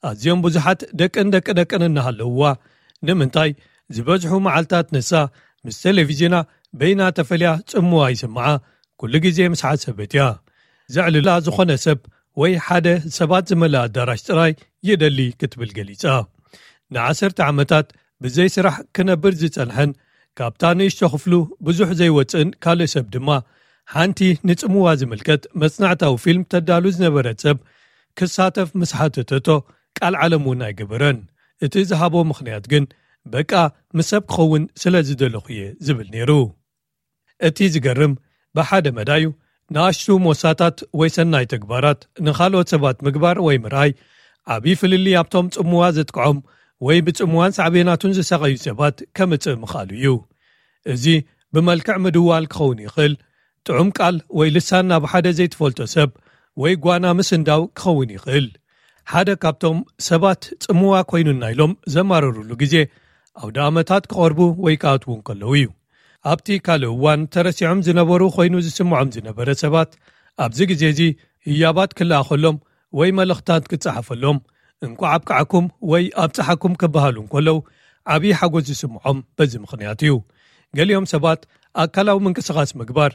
ኣዝዮም ብዙሓት ደቅን ደቂ ደቅን እናሃለውዋ ንምንታይ ዝበዝሑ መዓልታት ንሳ ምስ ቴሌቪዥና በይና ተፈልያ ጽምዋ ይስምዓ ኩሉ ግዜ ምስ ሓሰበት እያ። ዘዕልላ ዝኾነ ሰብ ወይ ሓደ ሰባት ዝመልኣ ኣዳራሽ ጥራይ ይደሊ ክትብል ገሊጻ። ንዓሰርተ ዓመታት ብዘይ ስራሕ ክነብር ዝጸንሐን ካብታ ንእሽቶ ክፍሉ ብዙሕ ዘይወጽእን ካልእ ሰብ ድማ ሓንቲ ንጽምዋ ዝምልከት መጽናዕታዊ ፊልም ተዳሉ ዝነበረት ሰብ ክሳተፍ ምስ ሓተተቶ፣ ቃል ዓለም እውን ኣይገበረን። እቲ ዝሃቦ ምኽንያት ግን፣ በቃ፣ ምስ ሰብ ክኸውን ስለ ዝደለኹ እየ ዝብል ነይሩ። እቲ ዝገርም፣ ብሓደ መዳዩ፣ ንኣሽቱ ሞሳታት ወይ ሰናይ ተግባራት ንኻልኦት ሰባት ምግባር ወይ ምርኣይ፣ ዓብዪ ፍልልይ ኣብቶም ጽምዋ ዘጥቅዖም ወይ ብጽምዋን ሳዕቤናቱን ዝሳቐዩ ሰባት ከምጽእ ምኽኣሉ እዩ። እዚ ብመልክዕ ምድዋል ክኸውን ይኽእል፣ ጥዑም ቃል ወይ ልሳን ናብ ሓደ ዘይትፈልጦ ሰብ ወይ ጓና ምስንዳው ክኸውን ይኽእል። ሓደ ካብቶም ሰባት ጽምዋ ኮይኑና ኢሎም ዘማረሩሉ ግዜ፣ ኣውደ ኣመታት ክቐርቡ ወይ ክኣትዉ እንከለዉ እዩ። ኣብቲ ካልእ እዋን ተረሲዖም ዝነበሩ ኮይኑ ዝስምዖም ዝነበረ ሰባት፣ ኣብዚ ግዜ እዚ ህያባት ክለኣኸሎም ወይ መልእኽታት ክጸሓፈሎም፣ እንቋዕ ኣብቃዓኩም ወይ ኣብጽሓኩም ክበሃሉ እንከለዉ፣ ዓብዪ ሓጎስ ዝስምዖም በዚ ምኽንያት እዩ። ገሊኦም ሰባት ኣካላዊ ምንቅስቓስ ምግባር፣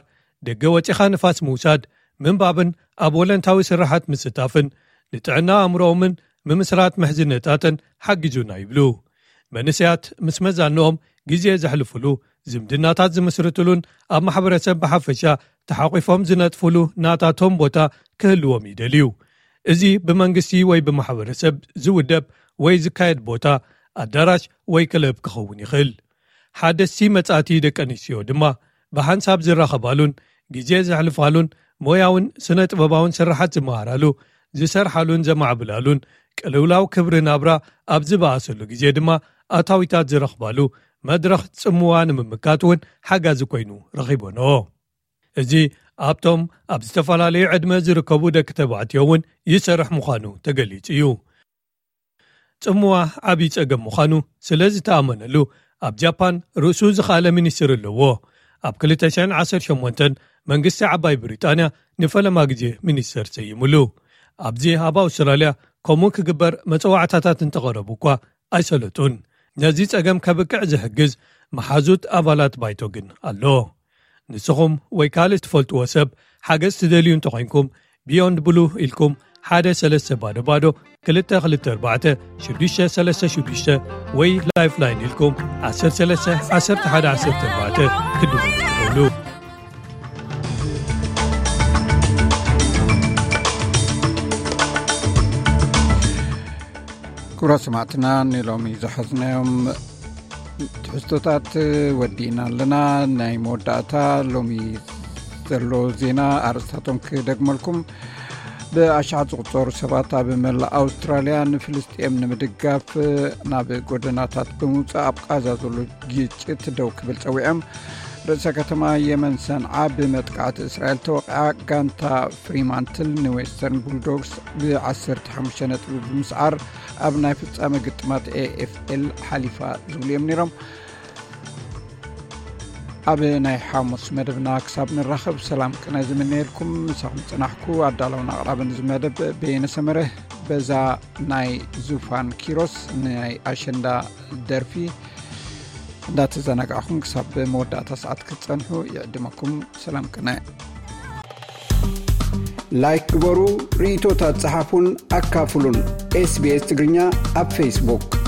ደገ ወጺኻ ንፋስ ምውሳድ፣ ምንባብን ኣብ ወለንታዊ ስራሓት ምስታፍን፣ ንጥዕና ኣእምሮኦምን ምምስራት ምሕዝነታትን ሓጊዙና ይብሉ። መንእሰያት ምስ መዛንኦም ግዜ ዘሕልፉሉ፣ ዝምድናታት ዝምስርትሉን ኣብ ማሕበረሰብ ብሓፈሻ ተሓቂፎም ዝነጥፉሉ ናታቶም ቦታ ክህልዎም ይደልዩ። እዚ ብመንግስቲ ወይ ብማሕበረሰብ ዝውደብ ወይ ዝካየድ ቦታ፣ ኣዳራሽ ወይ ክለብ ክኸውን ይኽእል። ሓደስቲ መጻእቲ ደቂ ኣንስትዮ ድማ ብሓንሳብ ዝራኸባሉን ግዜ ዘሕልፋሉን ሞያውን ስነ ጥበባውን ስራሓት ዝመሃራሉ፣ ዝሰርሓሉን ዘማዕብላሉን፣ ቅልውላው ክብሪ ናብራ ኣብ ዝበኣሰሉ ግዜ ድማ ኣታዊታት ዝረኽባሉ መድረኽ ጽምዋ ንምምካት እውን ሓጋዚ ኮይኑ ረኺቦንኦ። እዚ ኣብቶም ኣብ ዝተፈላለዩ ዕድመ ዝርከቡ ደቂ ተባዕትዮ እውን ይሰርሕ ምዃኑ ተገሊጹ እዩ። ጽምዋ ዓብዪ ጸገም ምዃኑ ስለ ዝተኣመነሉ፣ ኣብ ጃፓን ርእሱ ዝኸኣለ ሚኒስትር ኣለዎ። ኣብ ክልተ ሽሕን ዓሰርተ ሸሞንተን መንግስቲ ዓባይ ብሪጣንያ ንፈለማ ግዜ ሚኒስተር ሰይሙሉ። ኣብዚ ኣብ ኣውስትራልያ ከምኡ ክግበር መጸዋዕታታት እንተቐረቡ እኳ ኣይሰለጡን። ነዚ ጸገም ከብቅዕ ዝሕግዝ መሓዙት ኣባላት ባይቶ ግን ኣሎ። ንስኹም ወይ ካልእ ትፈልጥዎ ሰብ ሓገዝ ትደልዩ እንተኾይንኩም፣ ቢዮንድ ብሉ ኢልኩም ሓደ ሰለስተ ባዶ ባዶ ክልተ ክልተ ኣርባዕተ ሽዱሽተ ሰለስተ ሽዱሽተ ወይ ላይፍላይን ኢልኩም ዓሰርተ ሰለስተ ዓሰርተ ሓደ ዓሰርተ ኣርባዕተ ክትድውሉ ትኽእሉ። ክቡራት ሰማዕትና፣ ንሎሚ ዝሓዝናዮም ትሕዝቶታት ወዲእና ኣለና። ናይ መወዳእታ ሎሚ ዘሎ ዜና ኣርእስታቶም ክደግመልኩም። ብኣሽሓት ዝቑጸሩ ሰባት ኣብ መላእ ኣውስትራልያ ንፍልስጤም ንምድጋፍ ናብ ጎደናታት ብምውጻእ ኣብ ቃዛ ዘሎ ግጭት ደው ክብል ጸዊዖም። ርእሰ ከተማ የመን ሰንዓ ብመጥቃዕቲ እስራኤል ተወቂዓ። ጋንታ ፍሪማንትል ንዌስተርን ቡልዶግስ ብ ዓሰርተ ሓሙሽተ ነጥቢ ብምስዓር ኣብ ናይ ፍጻመ ግጥማት ኤ ኤፍ ኤል ሓሊፋ ዝብሉ እዮም ነይሮም። ኣብ ናይ ሓሙስ መደብና ክሳብ ንራኸብ ሰላም ቅነ ዝምነየልኩም። ምሳኹም ጽናሕኩ ኣዳለውን ኣቕራብን እዚ መደብ በየነ ሰመረ። በዛ ናይ ዙፋን ኪሮስ ናይ ኣሸንዳ ደርፊ እንዳተዘናጋዕኹም ክሳብ መወዳእታ ሰዓት ክትጸንሑ ይዕድመኩም። ሰላም ቅነ። ላይክ ግበሩ፣ ርእይቶታት ጸሓፉን ኣካፍሉን። ኤስ ቢ ኤስ ትግርኛ ኣብ ፌስቡክ።